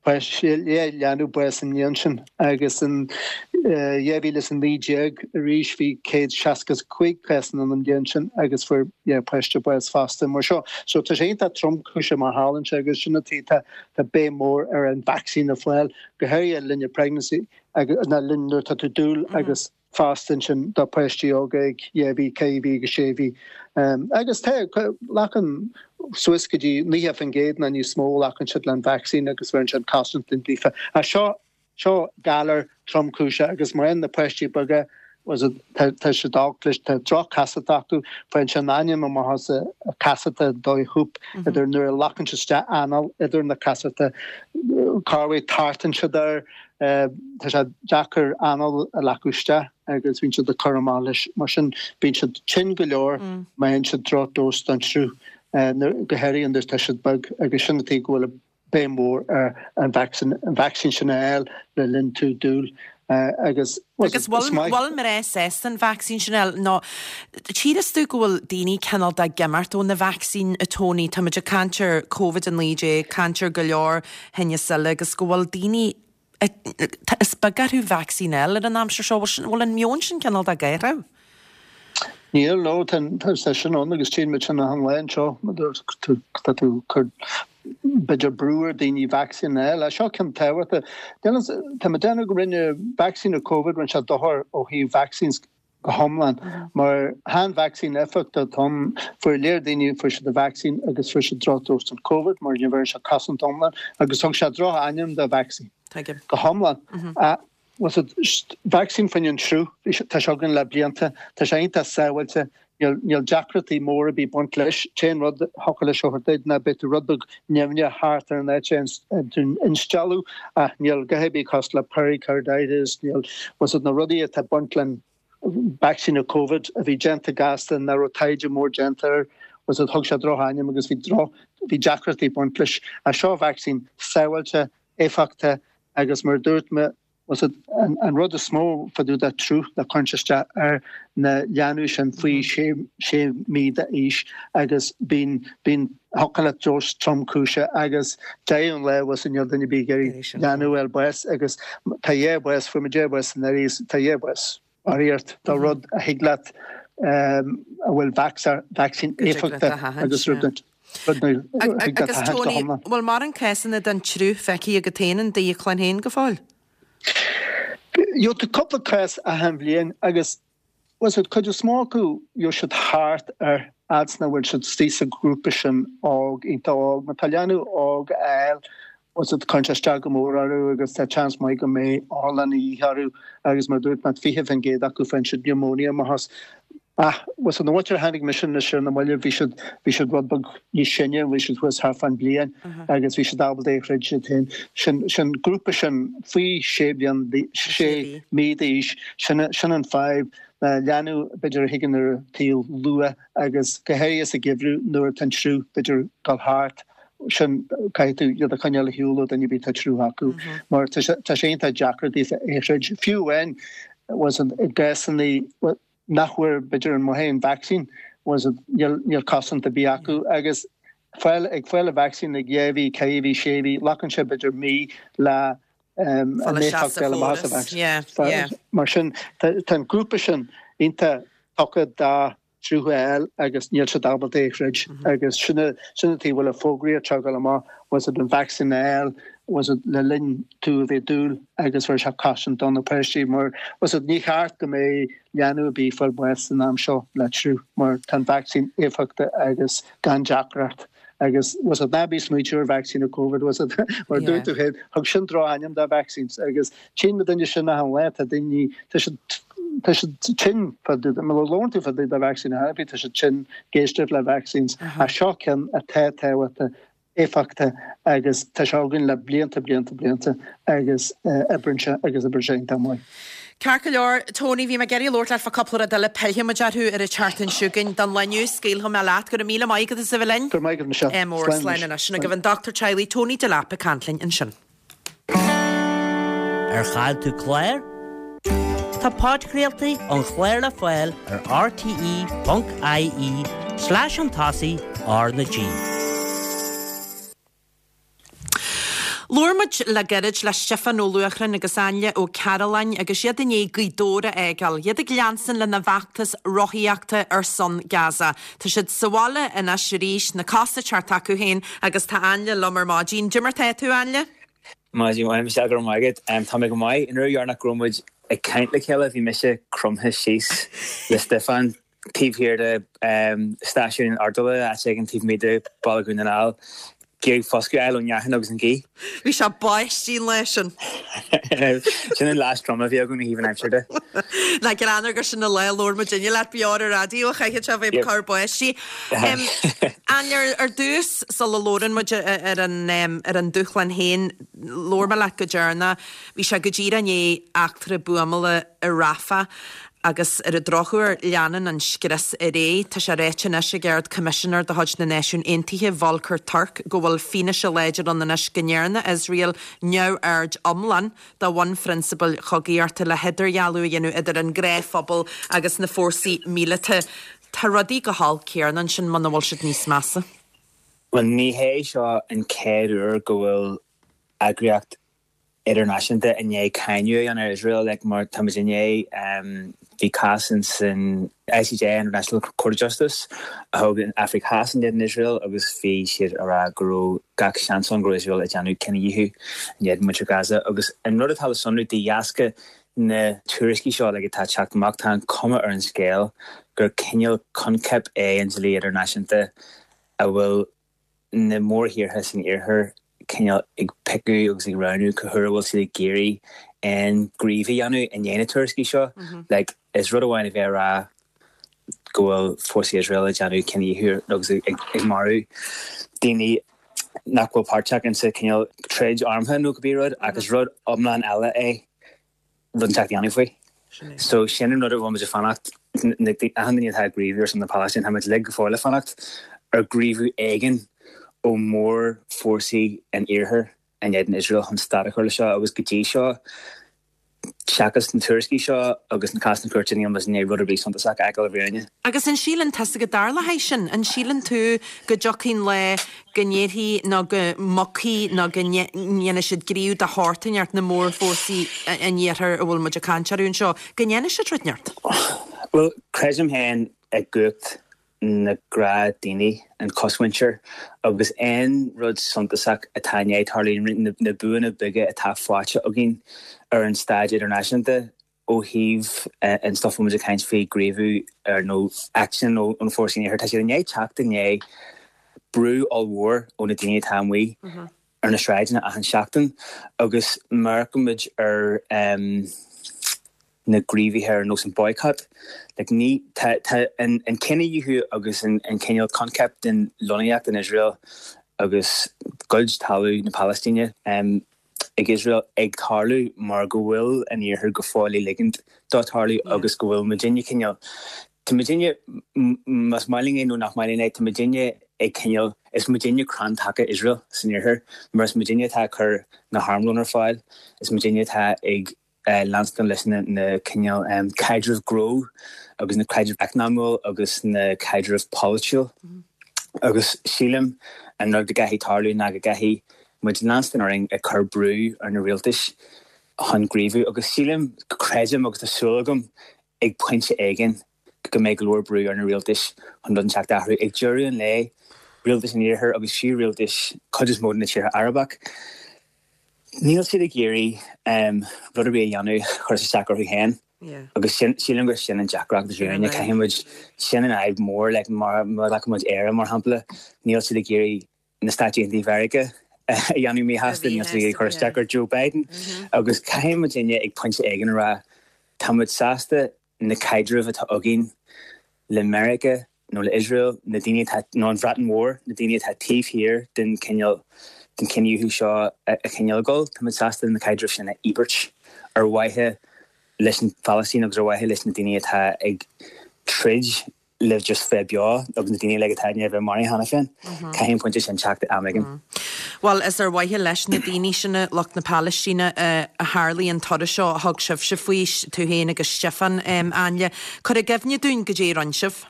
Fuair dhá leanbh bás an bhliain sin agus in dhá mhíle is a naoi déag arís bhí céad seasca is cúig cásanna ann an bhliain sin agus fuair dhá pháiste bás fosta. Mar seo, so tá sé iontach tromchúiseach má tharlaíonn sé agus sin an tuige tá tá béim mór ar an vacsaín a fháil, go háirithe le linn pregnancy agus na linn nuair atá tú dúil agus fosta ansin do pháistí óga ag dhá mhí, ceithre mhí agus sé mhí. Agus tá, glacann suas go dtí naocha faoin gcéad nó níos mó, glacann siad le an vacsaín agus bheireann siad cosaint ann daofa. Ach seo, seo galar tromchúiseach agus mar aon na páistí beaga, tá, tá siad olc leis, tá droch-chasacht acu, faigheann sé an ainm amach as a casachta dóigh hoop idir nuair a ghlacann siad isteach anáil idir na casachta, corruair tartann siad air, Tá sé deacair anáil a ghlacadh isteach agus bíonn siad ag cur amach leis. Mar sin, bíonn siad tinn go leor má fhaigheann siad drochdhós den sruth, go háirithe nuair atá siad beag agus sin an tuige go bhfuil béim mhór ar an vacsaín sin a fháil le linn tú dúil agus Agus bhfuil mná sásta an vacsaín sin a fháil nó tchíos tú go bhfuil daoine cineál de ag imeacht ó na vacsaín a Tony, táimid ag caint ar Covid a naoi déag, caint ar go leor thinneas eile agus go bhfuil daoine Is beag orthu vacsaín a fháil ar an aimsir seo. Bhfuil an meon sin cineál de ag athrú? Níl, no, tá sé sin ann agus tchíonn muid sin achan lá anseo. Tá tú ag cur b'fhéidir brú ar daoine vacsaín a fháil. Seo ceann tábhachtach. Tá mé ag déanamh go rinne vacsaín ar Covid, rinne sé dochar ó thaobh vaccines go hiomlán mar chan vacsaín éifeachtach atá ann. Fuair léir daoine, fuair siad an vacsaín agus fuair siad drochdhós den Covid mar ní bheireann sé cosaint iomlán agus thug sé droch-ainm do vacsaín go hiomlán. Was it vacsaín faoin an sruth, tá sé againn le blianta, tá sé iontach sábháilte, níl níl deacrachtaí móra ar bith ag baint leis. T-aon rud a thiocfadh leis a thabhairt duit ná beidh tú rud beag nimhneach thart ar an áit a tú instealladh ach níl a dhath ar bith cosúil le pericarditis, níl was it na rudaí atá ag baint le vacsaín ar Covid a bhí déanta gasta nach raibh taighde mór déanta air was it thug sé droch-ainm agus bhí droch bhí deacrachtaí ag baint leis. Ach seo vacsaín sábháilte, éifeachtach agus mar a dúirt mé was it an, an rud is mó fá dtaobh de sruth ná cuireann sé isteach ar na leanbh sin faoi sé, sé mí d'aois agus bíonn, bíonn thiocfadh leat dós tromchúiseach agus deireadh an lae was it níl duine ar bith ag iarraidh leanbh a fháil bás agus tá dhá bhás, fuair muid dhá bhás anuraidh agus tá dhá bhás. Barraíocht de rud a thig leat a bhfuil vacsaín éifeachtach agus rud a thig leat a Agus thathant go Tony, hiomlán. bhfuil mórán cásanna den tsruth feicthe agat féin in do chlann féin go fóill? Gheobhaidh tú cúpla cás achan bhliain agus was it cuid is mó acu gheobhaidh siad thart ar fhad 's nach bhfuil siad istigh sa ghrúpa sin óg, iontach óg. Má tá leanbh óg á fháil was it cuireann sé isteach go mór orthu agus tá chance maith go mbeidh otharlann a dhíth orthu agus mar a dúirt mé fiche faoin gcéad acu faigheann siad pneumonia amach as. Ach was it na mhuintir a tháinig mise anois ar na mallaibh bhí siad bhí siad rud beag níos sine bhí siad thuas thart fán bliain agus bhí siad ábalta é a throid iad féin. Sin sin grúpa sin faoi sé bliain sé mí d'aois sin sin an fadhb na leanbh b'fhéidir a thigeann ar an tsaol luath agus go háirithe sa gheimhreadh nuair atá an sruth b'fhéidir dul thart sin caithfidh tú iad a choinneáil ar shiúl ó duine ar bith atá sruth acu mar tá sé tá sé iontach deacair daofa é a throid. Fiú amháin was it i gcásanna nach bhfuair b'fhéidir an maith an vacsaín was it níl níl cosaint ar bith acu agus fáil ag fáil an vacsaín ag dhá mhí, ceithre mhí, sé mhí, glacann sé b'fhéidir mí le um, Fáil an isteach éifeacht sa fáil amach as an chóras. vacsaín. Yeah, yeah. Mar sin tá tá an grúpa sin iontach tugtha do sruth a fháil agus níl siad ábalta é a throid agus sin sin an tuige a bhfuil an fógraíocht seo ag dul amach was it an vacsaín a fháil was it le linn tú a bheith dúil agus bheir sé cosaint do na páistí mar was it ní cheart go mbeidh leanbh ar bith ag fáil bás san am seo le sruth mar tá an vacsaín éifeachtach agus gan deacracht Agus was it ná bí smaoitiú ar vaccine COVID was it mar dúirt tú féin thug sin drochainm do vaccines agus tchíonn na daoine sin achan lá tá daoine tá siad tá siad tinn fá dtaobh má labhrann tú fá dtaobh de vaccine ar bith tá siad tinn ag éisteacht le vaccines ach seo ceann atá tábhachtach éifeachtach agus tá sé againn le blianta blianta blianta agus oibríonn sé agus oibríonn sé iontach maith. Ceart go leor, Tony, bhí mé ag iarraidh labhairt leat fá cúpla rud eile, pillfidh muid orthu ar an tseachtain seo chugainn. Don lá inniu, scaoilfidh mé leat. Go raibh míle maith agat as a bheith linn. Go raibh maith agat, Michelle. Ádh mór, Slán slán anois. anois. Sin agaibh an dochtúir teaghlaigh Tony Delap ag caint linn ansin. Ar chaill tú clár? Tá podchraoltaí an chláir le fáil ar rte ponc ie slash an tosaigh R na G. Labhair muid le gairid le Stiofán Ó Luachráin agus Ainle Ó Cearúlláin agus iad i ndiaidh Gaoth Dobhair a fhágáil, iad ag leanstan lena bhfeachtas rothaíochta ar son Gaza. Tá siad sa bhaile anois arís, na cosa ag teacht acu féin agus tá Ainle liom ar maidin. Cad é mar tá tú, Ainle? Maidin mhaith, Michelle, go raibh maith agat. Tá mé go maith. An uair dheireanach go raibh muid ag caint le chéile bhí mise cromtha síos le Stiofán taobh thiar de stáisiún Ardula, áit éigin taobh amuigh de Bhaile Dhún na nGall. Ag iarraidh foscadh a fháil ón fhearthainn agus an ghaoth. Bhí sé báistí an lá sin. Sin an lá is troime a bhí againn ó thaobh an aimsir de. Nach greannmhar gur sin an lá a labhair muidinne leat beo ar an raidió, chaithfeadh sé a bheith ag cur báistí. Ainle, ar dtús, sula labhrann muid ar an ar an dúshlán féin, labhair mé leat go deireanach, bhí sé go díreach i ndiaidh eachtra buamála i Rafah Agus ar an drochuair, leanann an scrios ar aghaidh. Tá sé ráite anois ag Ard-Choimisinéir de chuid na Náisiún Aontaithe, Volker Turk, go bhfuil fianaise láidir ann anois go ndearna Iosrael neamhaird iomlán de bhunphrionsabail chogaíochta le hidirdhealú a dhéanamh idir an gnáthphobal agus na fórsaí míleata. Tá rudaí go holc céanna ansin muna bhfuil siad níos measa. Bhuel, ní hé seo an chéad uair go bhfuil eagraíocht idirnáisiúnta i ndiaidh cáineadh a dhéanamh ar Iosrael, like, mar tá muid i ndiaidh, bhí cás in san ICJ, International Court of Justice, a thug an Afraic Theas in éadan Iosrael agus bhí siad a rá go raibh gach seans ann go raibh Iosrael ag déanamh cinedhíothú in éadan muintir Gaza. Agus an rud atá le sonrú de dheasca na tuairiscí seo like, atá ag teacht amach, tá an cuma ar an scéal gur cineál coincheap é an dlí idirnáisiúnta a bhfuil na mórthíortha san iarthar cineál ag piocadh agus ag roghnú cá huair a bhfuil siad ag iarraidh aon ghníomh a dhéanamh i ndiaidh na tuairiscí seo. Like, is rud amháin a bheith ag rá go bhfuil fórsaí Iosrael ag déanamh cinedhíothú agus ag marú daoine nach bhfuil páirteach insa cineál troid armtha nó cibé rud ach is rud iomlán eile é rud inteacht a dhéanamh faoi. So sin an rud a bhfuil muid ag fanacht, achan duine atá ag gníomhú ar son na Palaistíne, tá muid uilig go fóill ag fanacht ar ghníomhú éigin ó mhórfhórsaí an Iarthair in éadan Iosrael chun stad a chur le seo agus go dtí seo, seachas na tuairiscí seo agus na cásanna cúirte, níl muid i ndiaidh rud ar bith suntasach a fheiceáil i bhfírinne. Agus an síleann tusa go dtarlóidh sin? An síleann tú go dtiocfaidh an lá go ndéarfaidh nó go mbogfaidh nó go ndéanfaidh siad gníomh de shórt inteacht, na mórfhórsaí an Iarthair a bhfuil muid ag caint orthu anseo, go ndéanfaidh siad rud inteacht? Bhuel, creidim féin i gcumhacht na gnáthdhaoine, an chosmhuintir, agus aon rud suntasach atá i ndiaidh tarlú, na buanna beaga atá faighte againn ar an staid idirnáisiúnta ó thaobh an stuff a bhfuil muid ag caint faoi, gníomhú ar nó aicsean ó na fórsaí an Iarthair, tá siad i ndiaidh teacht i ndiaidh brú ollmhór ó na daoine atá amuigh ar na sráideanna achan seachtain agus má amharcann muid ar na gníomhartha ar nós an boycott, like ní, tá, tá an, an cinedhíothú agus an, an cineál coincheap den lonnaíocht in Iosrael agus goid talamh na Palaistíne ag Iosrael ag tarlú mar go bhfuil an Iarthar go fóill ag ligint dó tarlú agus go bhfuil muidinne cineál, tá muidinne, más maith linn é nó nach maith linn é, tá muidinne ag cineál, is muidinne crann taca Iosrael san Iarthar mar is muidinne atá ag cur na harmlón ar fáil, is muidinne atá ag leanstan leis na cineál caidreamh gnó agus na caidreamh eacnamúil agus na caidreamh polaitiúil agus sílim an rud go gcaithfidh tarlú ná go gcaithfidh muid leanstan orainn ag cur brú ar na rialtais chun gníomhú agus sílim, creidim agus tá súil agam ag pointe éigin go mbeidh go leor brú ar na rialtais chun rud inteacht a athrú. Ag deireadh an lae, rialtais an Iarthair agus fiú rialtais cuid is mó de na tíortha Arabach, Níl siad ag iarraidh rud ar bith a dhéanamh a chuirfeas isteach orthu féin. Agus sin sílim gur sin an deacracht Sin dúinne an caithfidh muid sin an fhadhb mór like mar mar ghlacann muid Éire mar shampla níl siad ag iarraidh na Stáit Aontaithe Mheiriceá a dhéanamh míshásta níl siad ag iarraidh cur isteach ar Joe Biden agus caithfidh muidinne ag pointe éigin a rá tá muid sásta na caidrimh atá againn le Meiriceá nó le Israel na daoine atá nó an Bhreatain Mhór na daoine atá taobh thiar den cineál den cinedhíothú seo a a chineál gol tá muid sásta na caidrimh sin a íobairt ar mhaithe leis an Phalaistín agus ar mhaithe leis na daoine atá ag troid le just bheith beo agus na daoine le atá i ndiaidh bheith maraithe cheana féin. Caithfidh an pointe sin teacht am éigin. Bhuel is ar mhaithe leis na daoine sin lucht na Palaistíne a tharlaigh an turas seo a thug sibhse faoi tú féin agus Stiofán Ainle. Cuir i gcuimhne dúinn goidé a rinne sibh.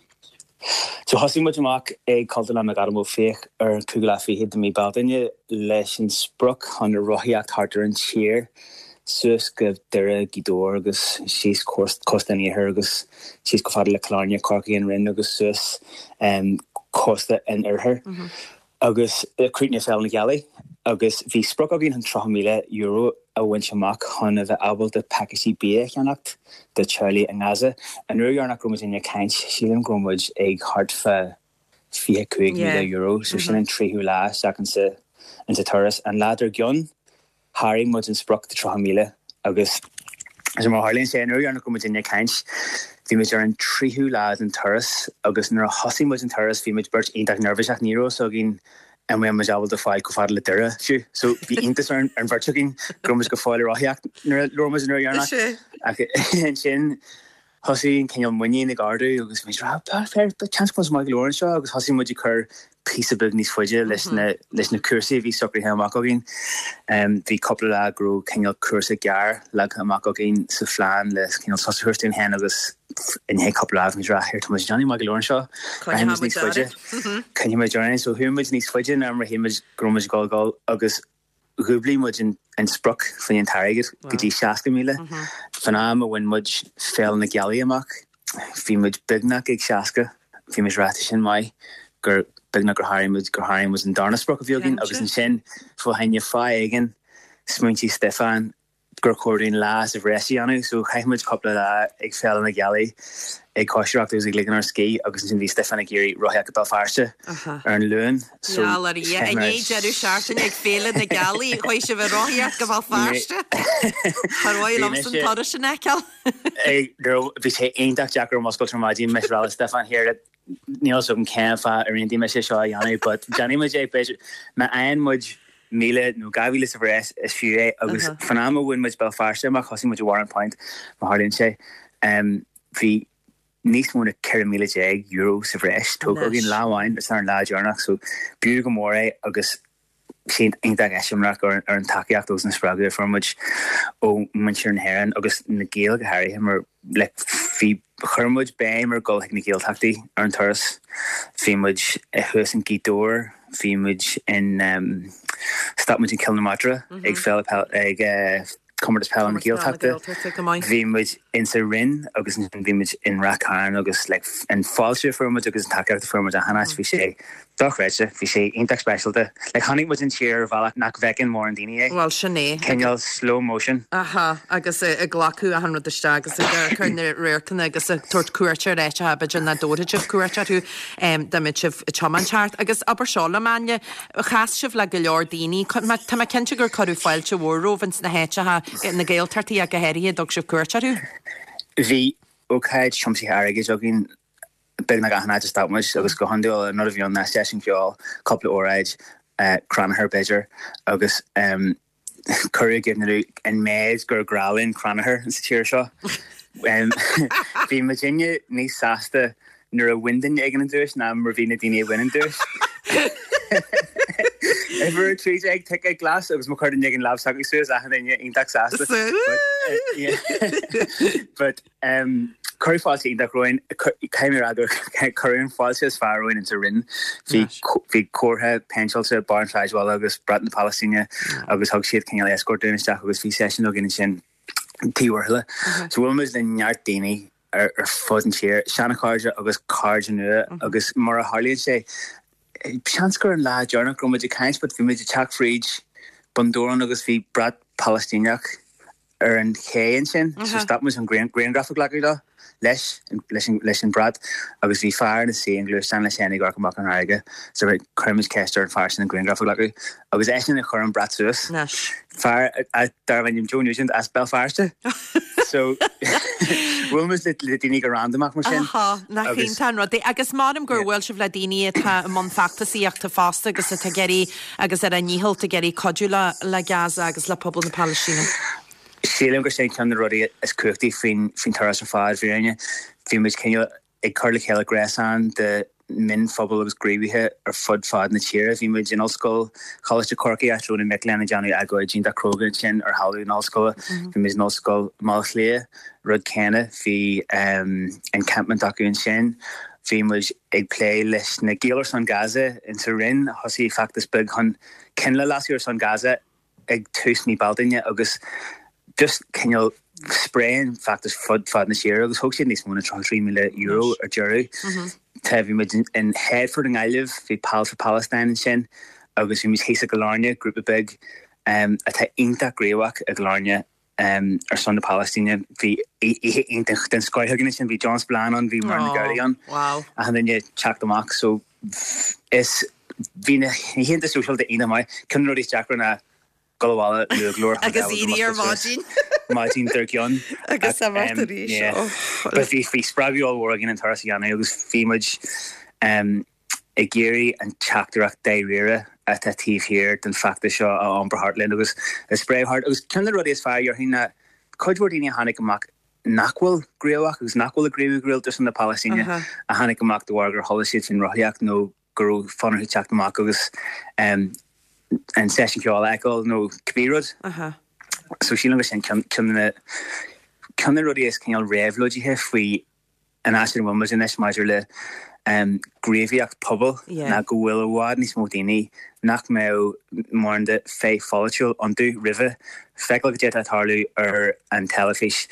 So thosaigh muid amach ag Cultúrlann McAdam Ó Fiaich ar an cúigiú lá fichead de mí Bealtaine leis an sprioc chun rothaíocht thart ar an tír suas go Doire Gaoth Dobhair agus síos cósta an iarthair agus síos go fada le Cill Airne Corcaigh an Rinn agus suas um, cósta an oirthir. Mm -hmm. Agus críochnaigh Féile na Gealaí agus bhí sprioc againn chun tríocha míle euro a bhaint amach chun a bheith ábalta pacáistí bia a cheannacht do teaghlaigh i nGaza. An uair dheireanach go raibh muid ag caint sílim go raibh muid ag thart fá fiche cúig míle euro, so sin an tríú lá isteach insa insa turas. An lá dár gcionn sháraigh muid an sprioc de tríocha míle agus so mar tharlaíonn sé an uair dheireanach go raibh muid ag caint bhí muid ar an tríú lá den turas agus nuair a thosaigh muid an turas bhí muid beirt iontach neirbhíseach ní raibh a fhios againn an mbeadh muid ábalta fáil chomh fada le Doire fiú. So bhí iontas ar an bheirt againn go raibh muid go fóill ag rothaíocht nuair a labhair muid an uair dheireanach. Ach ansin thosaigh an cineál muinín ag ardú agus bhí rá seans go maith go leor anseo agus thosaigh muid ag cur píosa beag níos faide leis na leis na cúrsaí a bhí socraithe amach againn. Um, bhí cúpla lá go raibh cineál cúrsa gearr leagtha amach againn sa phlean le cineál sos a thabhairt dúinn féin agus i ndiaidh cúpla lá bhí rá tá muid déanamh maith go leor anseo. Rachaidh muid níos faide. Coinneoidh muid orainn, so chuaigh muid níos faide ná mar a shíl muid go raibh muid ag dul agus dhúblaigh muid an, an sprioc faoin an t-airgead go dtí seasca míle. Fan am a bhain muid Féile na Gealaí amach, bhí muid beagnach ag seasca, bhí muid ráite sin maith gur beagnach gur tháinig muid gur tháinig muid an darna sprioc a bhí againn agus ansin fá choinne fáth éigin smaointigh Stefan gur chóir dúinn lá sa bhreis a dhéanamh, so chaith muid cúpla lá ag Féile na Gealaí ag cóisireacht agus ag ligean ár scíth agus ansin bhí Stefan ag iarraidh rothaíocht go Béal Feirste ar an Luan. So Ja, le i ndiaidh deireadh seachtaine ag Féile na Gealaí chuaigh sibh ag rothaíocht go Béal Feirste. Ar mhaith liomsa an turas sin a fheiceáil. Bhí sé iontach deacair muscailt ar maidin mise ag rá le Stefan here níl a fhios agam cén fáth ar aontaigh mise seo a dhéanamh, but déanfaidh muid é b'fhéidir má fhaigheann muid míle nó dhá mhíle sa bhreis is fiú é agus fan am a bhain muid Béal Feirste amach thosaigh muid i Warren Point má tharlaíonn sé um, bhí níos mó ná ceithre míle déag euro sa bhreis tógtha againn lá amháin is ar an lá deireanach so b'fhiú go mór é agus sin iontach eiseamláir ar ar an tacaíocht agus an spreagadh a fuair muid ó mhuintir na hÉireann agus na Gaeil go háirithe mar like, bhí chuir muid béim ar dhul chuig na Gaeltachtaí ar an turas. Bhí muid thuas in Gaoth Dobhair, bhí muid in um, stop muid in Cill na Martra ag féile peil ag uh, Comórtas Peile na Gaeltachta. Bhí muid in sa Rinn agus ansin bhí muid in Ráth Cairn agus like, an fáilte a fuair muid agus an tacaíocht a fuair muid achan áit bhí sé dochreidte, bhí sé iontach speisialta. Like, chonaic muid an tír ar bhealach nach bhfeiceann mórán daoine é. Well sin é. Cineál slow motion. Aha, agus ag glacadh achan rud isteach agus ag cur na radharcanna agus ag tabhairt cuairt ar áiteacha b'fhéidir nach dtabharfadh sibh cuairt orthu dá mbeadh sibh ag tiomáint thart. Agus abair seo liom Áine, chas sibh le go leor daoine, Tá mé cinnte gur cuireadh fáilte mhór romhaibh ins na háiteacha na Gaeltachtaí ach go háirithe a dtug sibh cuairt orthu. Bhí ócáid tiomsaithe airgid againn beagnach achan áit a stop muid agus go hiondúil an rud a bhí ann ná seisiún ceoil, cúpla óráid, uh, crannchur b'fhéidir agus um, cuireadh i gcuimhne dúinn an méid gur grá linn crannchur sa tír seo. Um, bhí muidinne níos sásta nuair a bhain duine éigin an duais ná mar bhí na daoine a bhain an duais. Uimhir trí déag ticéad glas agus má chuir duine éigin lámh s'acu suas achan duine iontach sásta. But, uh, yeah. But um, cuireadh fáilte iontach romhainn caithfidh mé a rá gur cuireadh an fáilte is fearr romhainn insa Rinn. Bhí bhí comhartha péinteáilte barr an tsráidbhaile agus brat na Palaistíne agus thug siad cineál escort dúinn isteach agus bhí seisiún againn ansin Tí Mhurchadha. So bhuail muid le neart daoine ar, ar fud an tír, seanchairde agus cairde nua agus mar a tharlaíonn sé seans gur an lá deireanach go raibh muid ag caint, but bhí muid ag teacht fríd Bun Dobhráin agus bhí brat Palaistíneach ar an ché ansin, so stop muid an grianghraf a ghlacadh leo, leis, leis an, leis an brat, agus bhí fear ina suí i ngluaisteán leis féin ag amharc amach an fharraige, so chuir muid ceist ar an fear sin an grianghraf a ghlacadh, agus eisean a chuir an brat suas. Anois. Fear darbh ainm Joe Nugent as Béal Feirste. So bhuail muid le le daoine go randamach mar sin. Aha, nach Agus- iontach an rud é. Agus measaim gur bhuail sibh le daoine atá i mbun feachtasaíochta fosta agus atá ag iarraidh agus ar a ndícheall ag iarraidh cuidiú le le Gaza agus le pobal na Palaistíne. Sílim gur sin ceann de na rudaí is cumhachtaí faoin faoin turas ar fad fírinne. Bhí muid cineál ag cur le chéile gréasán de mionphobal agus gníomhaithe ar fud fad na tíre. Bhí muid in Ollscoil Choláiste Chorcaí áit a raibh na mic léinn ag déanamh agóid iontach cróga ansin ar thalamh na hollscoile. Bhí muid in Ollscoil Bhaile Átha Cliath, rud céanna, bhí um, encampment acu ansin. Bhí muid ag plé leis na Gaeil ar son Gaza in sa Rinn, thosaigh feachtas beag chun coinnle a lasadh ar son Gaza ag tús mí Bealtaine agus just cineál spréigh an feachtas fud fad na tíre agus thóg siad níos mó ná tríocha trí míle euro ar deireadh. Tá bhí muid in, in Headford i nGaillimh, bhí Pals for Palestine ansin agus bhí muid thíos i gCill Airne, grúpa beag um, atá iontach gníomhach i gCill Airne um, ar son na Palaistíne. Bhí oíche iontach den scoth againn ansin, bhí John Spillane ann, bhí Muireann Nic Amhlaoibh ann. Wow. Achan duine teacht amach, so is bhí na laethanta sóisialta iontach maith. Ceann de na rudaí is deacra ná dul abhaile luath go leor Agus éirí ar maidin. Maidin dár gcionn. Agus Ach, imeacht um, arís. yeah. Oh. But bhí bhí spreagadh ollmhór againn an turas a dhéanamh agus bhí muid um, ag iarraidh an teachtaireacht dáiríre atá taobh thiar den feachtas seo a iompar thart linn agus a spréadh thart. Agus ceann de na rudaí is fearr déarfainn ná cuid mhór daoine a tháinig amach nach bhfuil gníomhach agus nach bhfuil ag gníomhú go rialta ar son na Palaistíne Aha. a tháinig amach de bharr gur chuala siad faoin rothaíocht nó go raibh fonn orthu teacht amach agus um, an seisiún ceoil a fheiceáil nó cibé rud. Aha. So sílim go sin ceann ceann de na ceann de na rudaí is cineál réabhlóidithe faoi an áit ina bhfuil muid anois maidir le um, gníomhaíocht pobail Yeah. ná go bhfuil i bhfad níos mó daoine nach mbeadh mórán de féith pholaitiúil iontu roimhe feiceáil goidé atá ag tarlú ar an teilifís.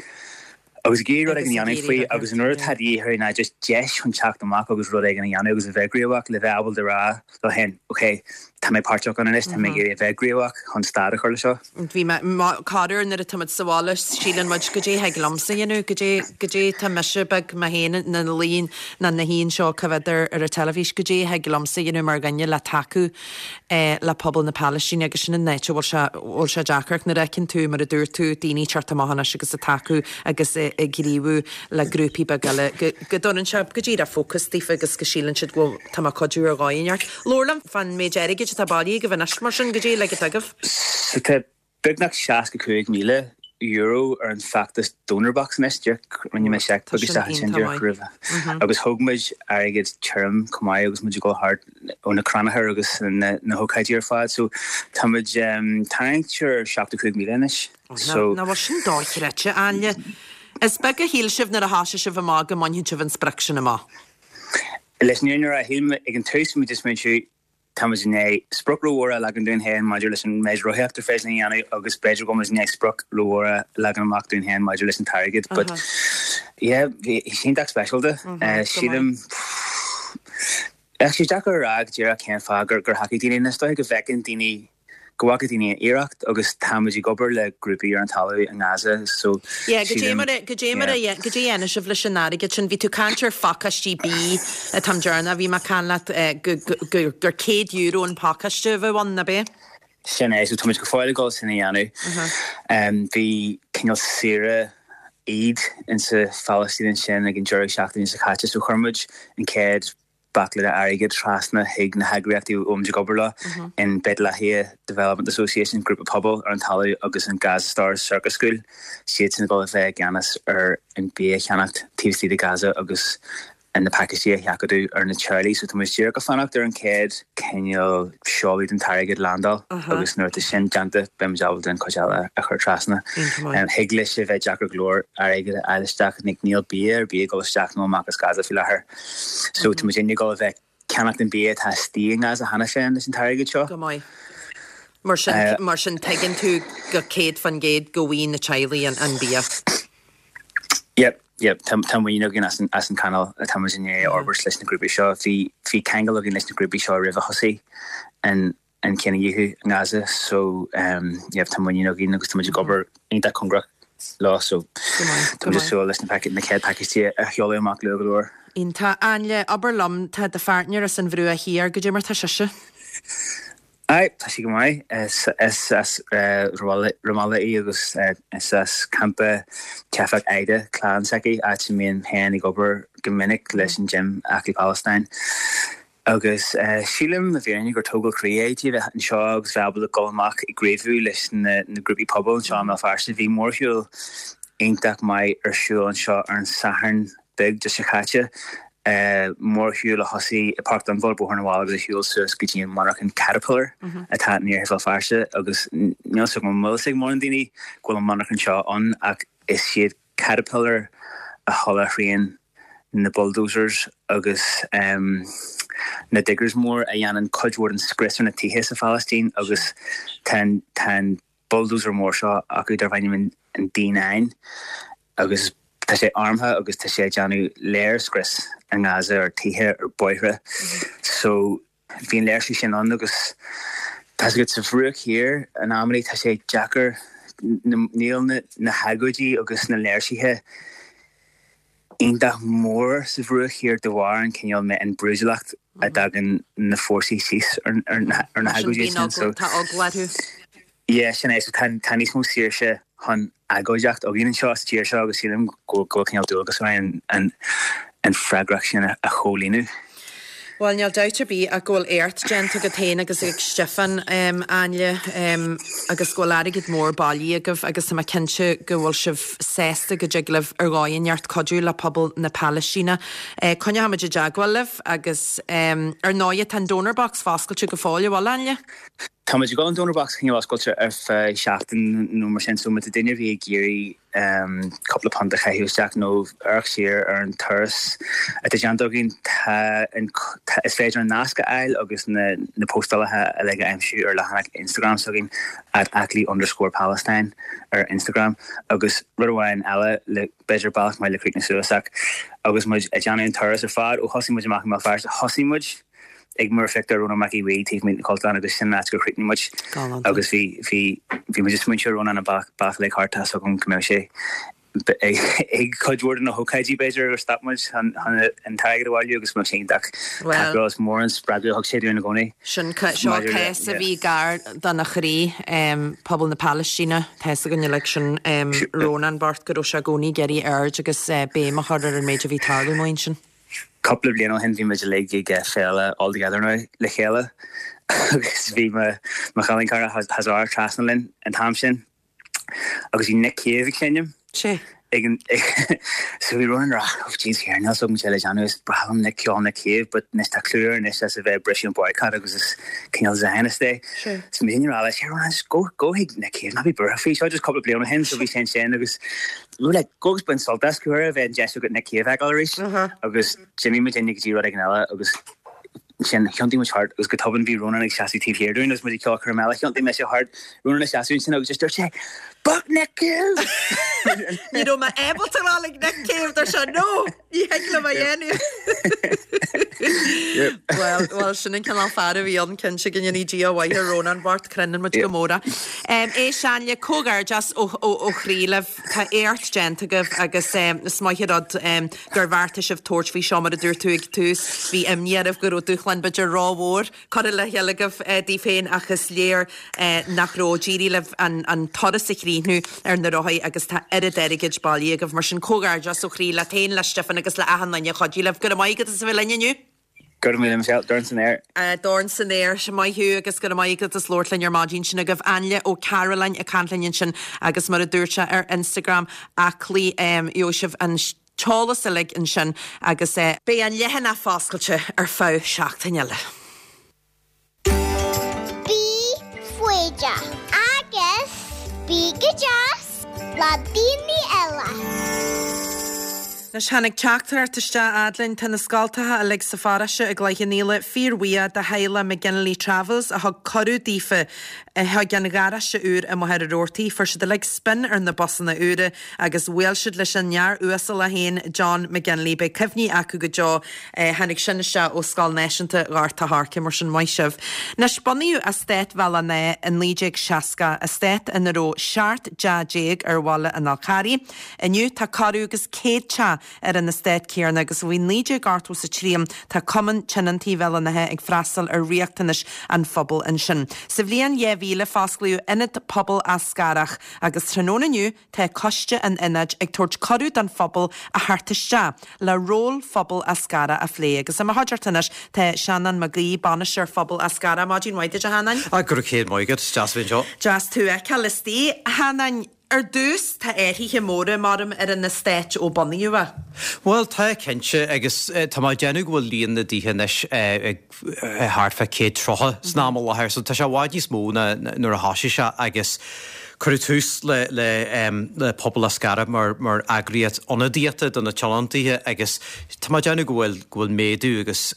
Agus ag iarraidh rud Agus éigin a ag dhéanamh iarraidh faoi rud agus an rud yeah. atá de dhíth ná just deis chun teacht amach agus rud éigin a dhéanamh agus a bheith gníomhach le bheith ábalta rá leo féin, ok, tá mé páirteach ann anois, tá mé ag iarraidh a bheith gníomhach chun stad a chur le seo. Bhí mé corruair nuair atá muid sa bhaile síleann muid goidé thig liomsa a dhéanamh, goidé goidé tá mise beag mé féin na líon na na haon seo coimhéad ar ar an teilifís, goidé thig liomsa a dhéanamh mar dhuine le tacú eh, le pobal na Palaistíne agus sin an áit a bhfuil sé bhfuil sé deacair nuair a fheiceann tú mar a dúirt tú daoine teacht amach anois agus ag tacú agus eh, ag gníomhú le grúpaí beaga eile go go dtugann sé go díreach fócas daofa agus go síleann siad go bhfuil tá mé ag cuidiú ar dhóigh inteacht. Labhair liom fán méid airgid atá bailithe agaibh anois mar sin goidé le go agaibh. So tá beagnach seasca cúig míle euro ar an feachtas donor box anois díreach rinne mé seic Tá beag sin isteach ansin iontach díreach maith. roimhe. Agus thóg muid airgead tirim chomh maith agus muid ag dul thart ó na crannchuir agus na na hócáidí ar fad, so tá muid um, tarraingt ar seachtó cúig míle anois. So Ná bhfuil sin dochreidte Áine. Is beag a shíl sibh nuair a thosaigh sibh amach go mbainfeadh sibh an sprioc sin amach. leis an fhírinne a shíl ag an tús muid is muid tá muid i ndiaidh sprioc rómhór a leagan dúinn féin maidir leis an méid rothaíocht ar féidir linn a dhéanamh agus b'fhéidir go muid i ndiaidh sprioc rómhór a leagan amach dúinn féin maidir leis an t-airgead, but yeah, bhí sé iontach speisialta. Eh, sílim sé deacair a rá go díreach cén fáth gur gur thacaigh daoine is dóigh go bhfeiceann daoine go bhfaca daoine an iarracht agus tá muid ag obair le grúpaí ar an talamh i nGaza so Yeah, go sílim- dé mar goidé mar goidé a dhéanfaidh sibh leis an airgead sin bhí tú caint ar phacáistí bídh an t-am deireanach bhí mé ag caint leat eh, go- go- go- gur céad euro an pacáiste a bheith ann ab ea? Sin é, so tá muid go fóill ag dul sin a dhéanamh. Um, bhí cineál saoire Eid insa Phalaistín ansin ag an deireadh seachtaine seo caite, so chuir muid an chéad baicle de airgead trasna chuig na heagraíochtaí a bhfuil muid ag obair leo in Beit Lahia Development Association grúpa pobail ar an talamh agus an Gaza Stars Circus School. Siad sin ag dul a bheith i gceannas ar an bia a cheannacht taobh istigh de Gaza agus an na pacáistí a sheachadadh ar na teaghlaigh, so tá muid díreach ag fanacht ar an chéad cineál seoladh den t-airgead landáil agus nuair atá sin déanta beidh muid ábalta an chuid eile a chur trasna. Iontach maith. Um, Thig leis a bheith deacair go leor airgead a fháil isteach ní níl bia ar bith ag dul isteach nó amach as Gaza faoi láthair. So tá muid ag dul a bheith ag ceannacht an bia atá istigh i nGaza cheana féin leis an t-airgead seo. Go maith. Mar sin Eh, mar sin tuigeann tú go céad faoin gcéad go bhfaighidh na teaghlaigh an, an bia. Yep, yep, tá tá muinín againn as an as an canal atá muid i ndiaidh a fhorbairt leis na grúpaí seo. Bhí bhí ceangal againn leis na grúpaí seo roimh a thosaigh an an cinedhíothú i nGaza, so um, yep, tá muinín againn agus tá muid ag obair iontach cóngarach leo so tá muid ag súil leis na na chéad pacáistí a sheoladh amach luath go leor. Iontach. Ainle, abair liom, tá do pháirtnéir as an Bhruach Thiar, goidé mar tá sise? Aye, tá sí go maith. Is as Ramallah í agus is as campa teifeach Aida clann s'aici, áit a mbím féin ag obair go minic leis an gym Aclaí Palestine. Agus sílim i bhfírinne gur tógáil croí é di a bheith anseo agus bheith ábalta dul amach ag gníomhú leis na grúpaí pobail anseo i mBéal Feirste. Bhí mórshiúl iontach maith ar siúl anseo ar an Satharn beag seo caite, mórshiúl a thosaigh i Páirc Donnbháil, Bóthar na bhFál agus a shiúil suas go dtí an monarchan Caterpillar atá in iarthar Bhéal Feirste agus níl fhios agam an bhfuil fhios ag mórán daoine go bhfuil an monarchan seo ann ach is iad Caterpillar a sholáthraíonn na bulldozers agus na diggers mór a dhéanann cuid mhór den scrios ar na tithe sa Phalaistín agus tá an bulldozer mór seo acu darb ainm an D nine agus tá sé armtha agus tá sé ag déanamh léirscrios i nGaza ar tithe ar bóithre. So bhí an léirsiú sin ann agus tá a fhios agat sa Bhruach Thiar in amannaí tá sé deacair níl na hagóidí agus na léirsithe iontach mór sa Bhruach Thiar de bharr an cineál an brúidiúlacht a dtagann na fórsaí síos ar na hagóidí sin. So tá eagla orthu. Yeah, sin é. So tá tá níos mó saoirse chun agóideacht againn anseo sa tír seo agus sílim go bhfuil cineál dualgas orainn an an freagracht sin a chomhlíonadh. Bhuel, níl dabht ar bith ach go bhfuil éacht déanta agat féin agus ag Stiofán, Ainle, agus go bhfuil airgead mór bailithe agaibh agus tá mé cinnte go bhfuil sibh sásta go dtig libh ar dhóigh inteacht cuidiú le pobal na Palaistíne. Coinneoidh muid i dteagmháil libh agus ar ndóigh tá an donor box foscailte go fóill, an bhfuil, Ainle? Tá muid ag dul an donor box a choinneáil oscailte ar feadh seachtain nó mar sin so má tá duine ar bith ag iarraidh cúpla punt a chaitheamh isteach nó amharc siar ar an turas atá déanta againn tá an is féidir an nasc a fháil agus na na postálacha uilig a aimsiú ar leathanach Instagram s'againn at aclaí underscore Palestine ar Instagram agus rud amháin eile le b'fhéidir bealach maith le críochnú suas ach agus muid ag déanamh an turas ar fad ó thosaigh muid amach i mBéal Feirste thosaigh muid ag múrphictiúr Rónán Mac Aodha Bhuí taobh amuigh den Chultúrlann agus sin an áit gur chríochnaigh muid agus bhí bhí bhí muid ag smaointiú ar Rónán an bealach bealach uilig thart tá a fhios agam go mbeadh sé ag cuid mhór de na hócáidí b'fhéidir gur stop muid chun chun an t-airgead a bhailiú agus go mbeadh sé iontach tacúil is mór an spreagadh a thug sé dúinn i gcónaí. Sin seo cás a bhí gar dona chroí, pobal na Palaistíne, tá a fhios againn uilig sin Rónán bocht go raibh sé i gcónaí ag iarraidh aird agus béim a chur ar an méid a bhí ag tarlú amuigh ansin. Cúpla bliain ó shin bhí muid uilig ag féile All Together Now le chéile agus bhí mo mo chailín cara Hazar trasna linn an t-am sin agus bhí Nick Cave ag seinm Sé. ag an so bhí Ronan ag rá oh jeez here níl a fhios agam cad le déanamh is breá liom Nick ceol Nick Cave but anois tá clú air anois as a bheith ag briseadh an boycott agus is cineál Zionist é. Sé. So bhí ag rá leis here Ronan just go go chuig Nick Cave ná bí buartha faoi seo just cúpla bliain ó shin so bhí sé ansin agus we were like go agus bain sult as go bheith an deis agat Nick Cave a fheiceáil arís agus d'imigh muid go dtí rud éigin eile agus ansin thiontaigh muid thart agus go tobann bhí Ronan ag seasamh taobh thiar dúinn agus muid ag ceolchoirm eile thiontaigh mise thart Ronan ag seasamh ansin agus just dúirt sé Fuck Nick Cave! Ní raibh mé ábalta a rá like Nick Cave dúirt sé no ní thig liom a dhéanamh. Well well sin an cineál fear a bhí ann cinnte go ndéanaí Dia a mhaith ar Rónán bocht cronainn muid go mór é. Éist Ainle comhghairdeas ó ó chroí libh tá éacht déanta agaibh agus is maith an rud gur bheartaigh sibh tabhairt faoi seo mar a dúirt tú ag tús bhí imní oraibh go raibh dúshlán b'fhéidir rómhór curtha le chéile agaibh daoibh féin ach is léir nach raibh d'éirigh libh an an turas a chríochnú ar na rothaí agus tá oiread airgid bailithe agaibh mar sin comhghairdeas ó chroí leat féin le Stiofán agus le achan duine a chuidigh libh. Go raibh maith agat as a bheith linn inniu. Go raibh míle Michelle, dorn san aer. Dorn san aer, maith thú agus go raibh maith agat as labhairt linn ar maidin sin agaibh. Ainle Ó Cairealláin ag caint linn ansin agus mar a dúirt sé ar Instagram aclaí gheobhaidh sibh an t-eolas uilig ansin agus beidh an leathanach foscailte ar feadh seachtain eile. Bí foighdeach agus bí go deas le daoine eile. Anois tháinig teachtaireacht isteach fhad linn, tá na scoltacha uilig sa pharóiste i gCloich Cheann Fhaola fíorbhuíoch de theaghlach McGinley Travels a thug cuireadh daofa chuig an gharáiste úr i Machaire Rabhartaigh. Fuair siad uilig spin ar na busanna úra agus bhuail siad leis an fhear uasal é féin, John McGinley. Beidh cuimhní acu go deo. Tháinig sin isteach ó Scoil Náisiúnta Ghort a' Choirce, mar sin maith sibh. Anois bunaíodh Eastát Bhéal Átha an Átha i naoi déag seasca, eastát ina raibh seacht dteach déag ar bhaile an Fhál Carraigh. Inniu tá corradh agus céad teach ar an eastát céanna agus ó bhí naoi déag ochtó is a trí ann tá Cumann Tionóntaí Bhéal an Átha ag freastal ar riachtanais an phobail ansin. Sa bhliain dhá mhíle fosclaíodh Ionad Pobail Eascarrach agus tráthnóna inniu tá coiste an ionaid ag tabhairt cuireadh don phobal a theacht isteach le ról phobal Eascarrach a phlé agus i mo chuideachta anois tá Seanán Mac Aoidh, Bainisteoir Phobal Eascarrach. Maidin mhaith duit a Sheanáin. Ah, go raibh céad maith agat, is deas a bheith anseo. Deas tú a fheiceáil istigh, a Sheanáin. Ar dtús, tá athruithe móra, maram, ar an eastát ó bunaíodh é. Bhuel, tá, cinnte, agus tá mé ag déanamh go bhfuil líon na dtithe anois ag thart fá céad tríocha san am i láthair, so tá sé i bhfad níos mó ná nuair a thosaigh sé agus cuireadh tús le le le Pobal Eascarrach mar mar eagraíocht ionadaíochta do na tionóntaithe agus tá mé ag déanamh go bhfuil go bhfuil méadú agus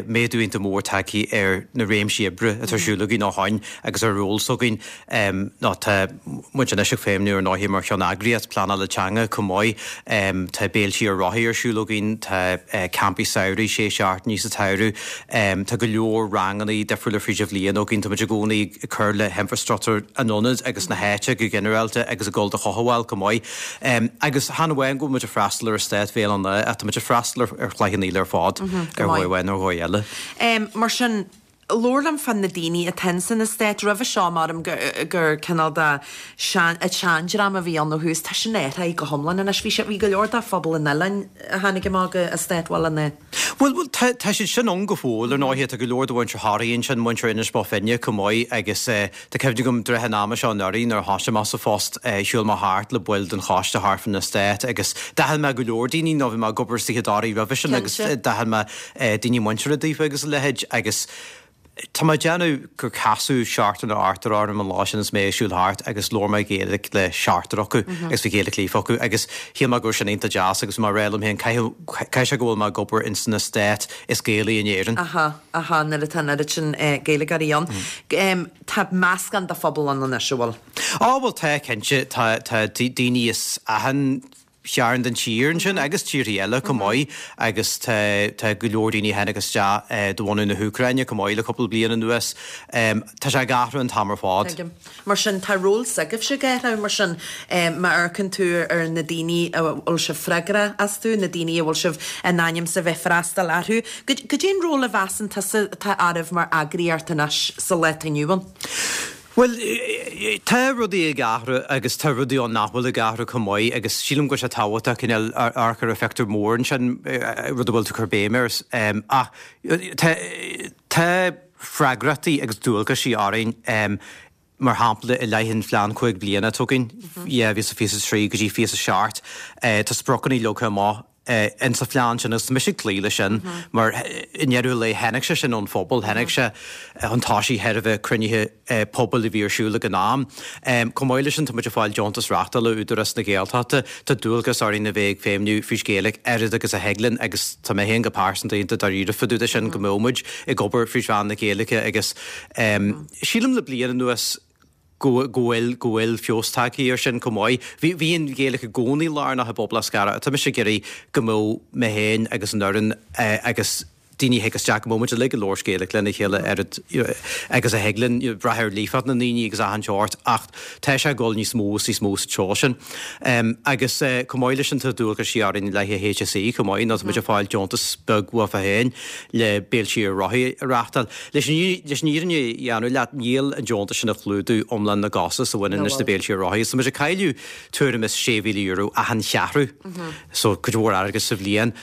méadú iontach mór tagtha ar na réimsí oibre atá ar siúl againn ó shoin agus ar ról s'againn. Nó tá muid anois ag feidhmiú ar ndóigh mar cheanneagraíocht pleanála teanga chomh maith. Tá béiltí ar rothaí ar siúl againn, tá campaí samhraidh sé seachtainí sa tsamhradh, tá go leor ranganna difriúla fríd an bhliain againn, tá muid i gcónaí ag cur le hinfreastruchtúr an ionaid agus na háite go ginearálta agus ag dul do chothabháil chomh maith. Agus chan amháin go bhfuil muid ag freastal ar eastát Bhéal an Átha ach tá muid ag freastal ar Chloich Cheann Fhaola ar fad, ar dhóigh amháin nó ar dhóigh eile. Mar sin, Labhair liom fá na daoine atá ins an eastát. Roimhe seo, maram gur cineál de seandream a bhí ann ó thús. Tá sin athraithe go hiomlán anois. Bhí sé, bhí go leor de phobal an oileáin a tháinig amach go eastát Bhaile an Átha. Bhuel, bhuel, tá, tá siad sin ann go fóill, ar ndóighe. Tá go leor de mhuintir Thoraí ansin, muintir Inis Bó Finne chomh maith agus tá cuimhne agam i dtrátha an ama seo anuraidh nuair a thosaigh mé sa phost, shiúil mé thart le baill den choiste thart fán eastát agus d'aithin mé go leor daoine nó bhí mé ag obair istigh i dToraigh roimhe sin agus d'aithin mé daoine muinteartha daofa agus a leithéid agus tá mé ag déanamh gur casadh seachtar nó ochtar orm an lá sin is mé ag siúl thart agus labhair mé Gaeilge le seachtar acu agus bhí Gaeilge líofa acu agus shíl mé go raibh sin iontach deas agus bhí mé ag rá liom féin caithfidh sé go bhfuil mé ag obair ins an eastát is Gaelaí in Éirinn. Aha, aha, nuair atá an oiread sin Gaeilgeoirí ann. Tá meascán de phobal ann anois, an bhfuil? Á bhuel tá, cinnte, tá tá daoine as achan chearn den tír ansin agus tíortha eile chomh maith agus tá tá go leor daoine a tháinig isteach de bhunadh na hÚcráine chomh maith le cúpla bliain anuas. Tá sé ag athrú an t-am ar fad. Tuigim. Mar sin, tá ról s'agaibhse ag athrú, mar sin, má amharcann tú ar na daoine a bhfuil sibh freagrach astu, na daoine a bhfuil sibh in ainm 's a bheith freastal orthu. Goidé an ról a mheasann tusa atá oraibh mar eagraíocht anois sa lá atá inniu ann? Bhuel, tá rudaí ag athrú agus tá rudaí ann nach bhfuil ag athrú chomh maith agus sílim go bhfuil sé tábhachtach cineál amharc ar an phictiúr mór ansin, rud a bhfuil tú ag cur béim air. Ach tá tá freagrachtaí agus dualgaisí orainn, mar shampla i leith an phlean cúig bliana atá againn, dhá mhíle is fiche a trí go dtí fiche a seacht, tá spriocanna leagtha amach in sa phlean sin agus tá mise ag cloí leis sin mar i ndeireadh an lae tháinig sé sin ón phobal, tháinig sé chun tosaigh de thairbhe cruinnithe pobail a bhí ar siúl ag an am. Chomh maith leis sin tá muid ag fáil deontas reáchtála ó Údarás na Gaeltachta, tá dualgas orainn a bheith ag feidhmiú fríd Ghaeilge oiread agus a thig linn agus tá mé féin go pearsanta iontach dáiríre fá dtaobh de sin go mbeadh muid ag obair fríd mheán na Gaeilge agus sílim le bliain anuas go bhfuil go bhfuil feabhas tagtha air sin chomh maith. Bhí bhí an Ghaeilge i gcónaí lárnach i bpobal Eascarrach. Tá mise ag iarraidh go mbeadh mé féin agus an fhoireann agus daoine a thig isteach go mbeadh muid uilig ag labhairt Gaeilge lena chéile oiread agus a thig linn, brath ar líofacht na ndaoine agus achan seort ach tá sé ag dul níos mó is níos mó sa treo sin. Agus chomh maith leis sin tá dualgaisí orainn i leith an HSE chomh maith nó tá muid ag fáil deontas beag uafa féin le béiltí ar rothaí a reáchtáil. Leis an fhírinne a dhéanamh leat, níl an deontas sin ag clúdú iomlán na gcostas a bhaineann leis na béiltí ar rothaí. So muid ag cailleadh tuairim is sé mhíle euro achan cheathrú, so cuid mhór airgid sa bhliain.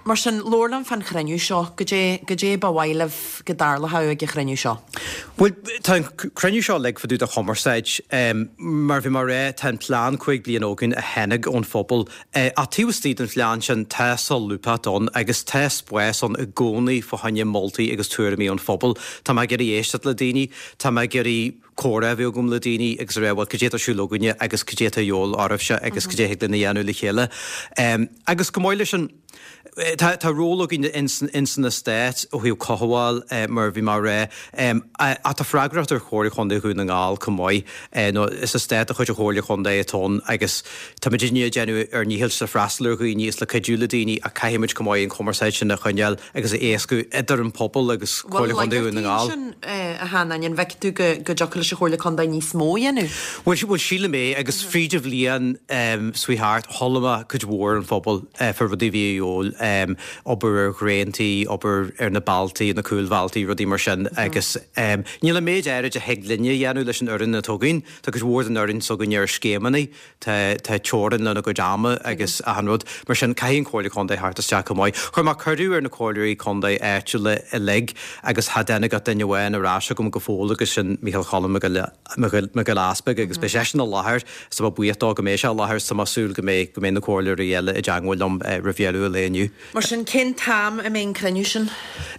Mar sin, labhair liom fán chruinniú seo. Goidé, goidé ba mhaith libh go dtarlódh ag an chruinniú seo? Bhuel, tá an cruinniú seo uilig fá dtaobh de chumarsáid. Mar bhí mé a rá, tá an plean cúig bliana againn a tháinig ón phobal. Ach taobh istigh den phlean sin, tá solúbthacht ann agus tá spás ann i gcónaí fá choinne moltaí agus tuairimí ón phobal. Tá mé ag iarraidh éisteacht le daoine, tá mé ag iarraidh comhrá a bheith agam le daoine agus a rá bhuel cad é atá ar siúl againne agus cad é atá de dhíobháil oraibhse agus cad é a thig linn a dhéanamh le chéile. Agus chomh maith leis sin, tá tá ról againn ins ins an eastát ó thaobh cothabháil mar a bhí mé a rá ach tá freagracht ar Chomhairle Chontae Dhún na nGall chomh maith nó is eastát de chuid an Chomhairle Chontae atá ann agus tá muidinne ag déanamh ár ndícheall le freastal ar dhaoine is le cuidiú le daoine ach caithfidh muid chomh maith an chumarsáid sin a choinneáil agus a éascú idir an pobal agus Comhairle Chontae Dhún na nGall. Bhfuil laigeachtaí ansin, a Sheanáin, an bhfeiceann tú go go dtiocfadh leis an Chomhairle Contae níos mó a dhéanamh? Bhuel, bhuel sílim é agus fríd an bhliain seo thart, chuala mé cuid mhór ón phobal fá rudaí a bhí a dhíobháil, obair ar dhraontaí, obair ar na bealtaí, na cúlbhealtaí, rudaí mar sin agus níl an méid áirid a thig linne a dhéanamh leis an fhoireann atá againn. Tá cuid mhór den fhoireann s'againne ar scéimeanna, tá tá teorainn lena gcuid ama agus achan rud. Mar sin, caithfidh an Chomhairle Contae theacht isteach chomh maith. Chuir mé cuireadh ar na comhairleoirí contae áitiúla uilig agus cha dtáinig ach duine amháin ar ais chugam go fóill agus sin Micheál Choilm Mac Giolla Easpaig agus beidh seisean i láthair is tá mé buíoch dó go mbeidh sé i láthair is tá mé ag súil go mbeidh go mbeidh na comhairleoirí eile i dteangmháil liom roimh dheireadh an lae inniu. Mar sin, cén t-am a mbeidh an cruinniú sin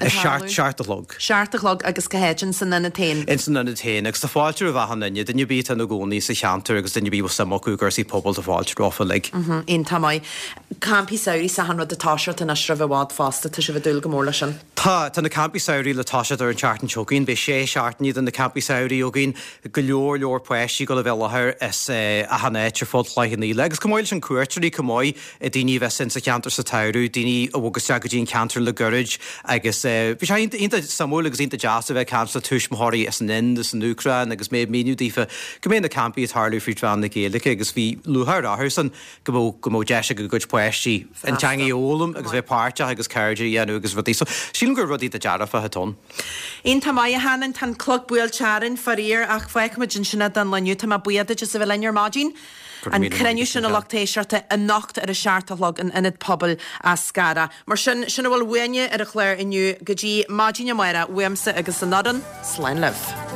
ag tarlú? Seacht a chlog. Seacht a chlog agus cá háit? Ins an ionad féin? Ins an ionad féin agus tá fáilte roimh achan duine, duine ar bith atá ina gcónaí sa cheantar agus duine ar bith a bhfuil suim acu i gcúrsaí pobail tá fáilte rompu uilig. Iontach maith. Campaí samhraidh is achan rud ag toiseacht anois roimh i bhfad fosta, tá sibh ag dúil go mór leis sin? Tá, tá na campaí samhraidh le toiseacht ar an tseachtain seo chugainn. Beidh sé seachtainí de na campaí samhraidh againn. Go leor leor páistí ag dul a bheith i láthair as achan áit ar fud Chloich Cheann Fhaola. Agus chomh maith leis sin cuairteoirí chomh maith, daoine a bheas insa cheantar sa tsamhradh, daoine a bhog isteach go dtí an ceantar le goirid agus bhí sé iontach suimiúil agus iontach deas a bheith ag caint le tuismitheoirí as an Ind, as an Úcráin agus mé ag míniú daofa go mbeidh na campaí ag tarlú fríd mheán na Gaeilge agus bhí lúcháir orthusan go mbeadh go mbeadh deis ag a gcuid páistí an teanga a fhoghlaim agus bheith páirteach agus cairde a dhéanamh agus rudaí. So sílim gur rudaí dearfacha atá ann. Iontach maith, a Sheanáin, tá an clog buailte orainn, faraor, ach fágfaimid ansin é don lá inniu. Tá mé buíoch duit as a bheith linn ar maidin. An cruinniú sin a lucht éisteachta anocht ar a seacht a chlog in Ionad Pobail Eascarrach. Mar sin, sin a bhfuil uainne ar an chlár inniu go dtí maidin amárach, uaimse agus an fhoireann, slán libh.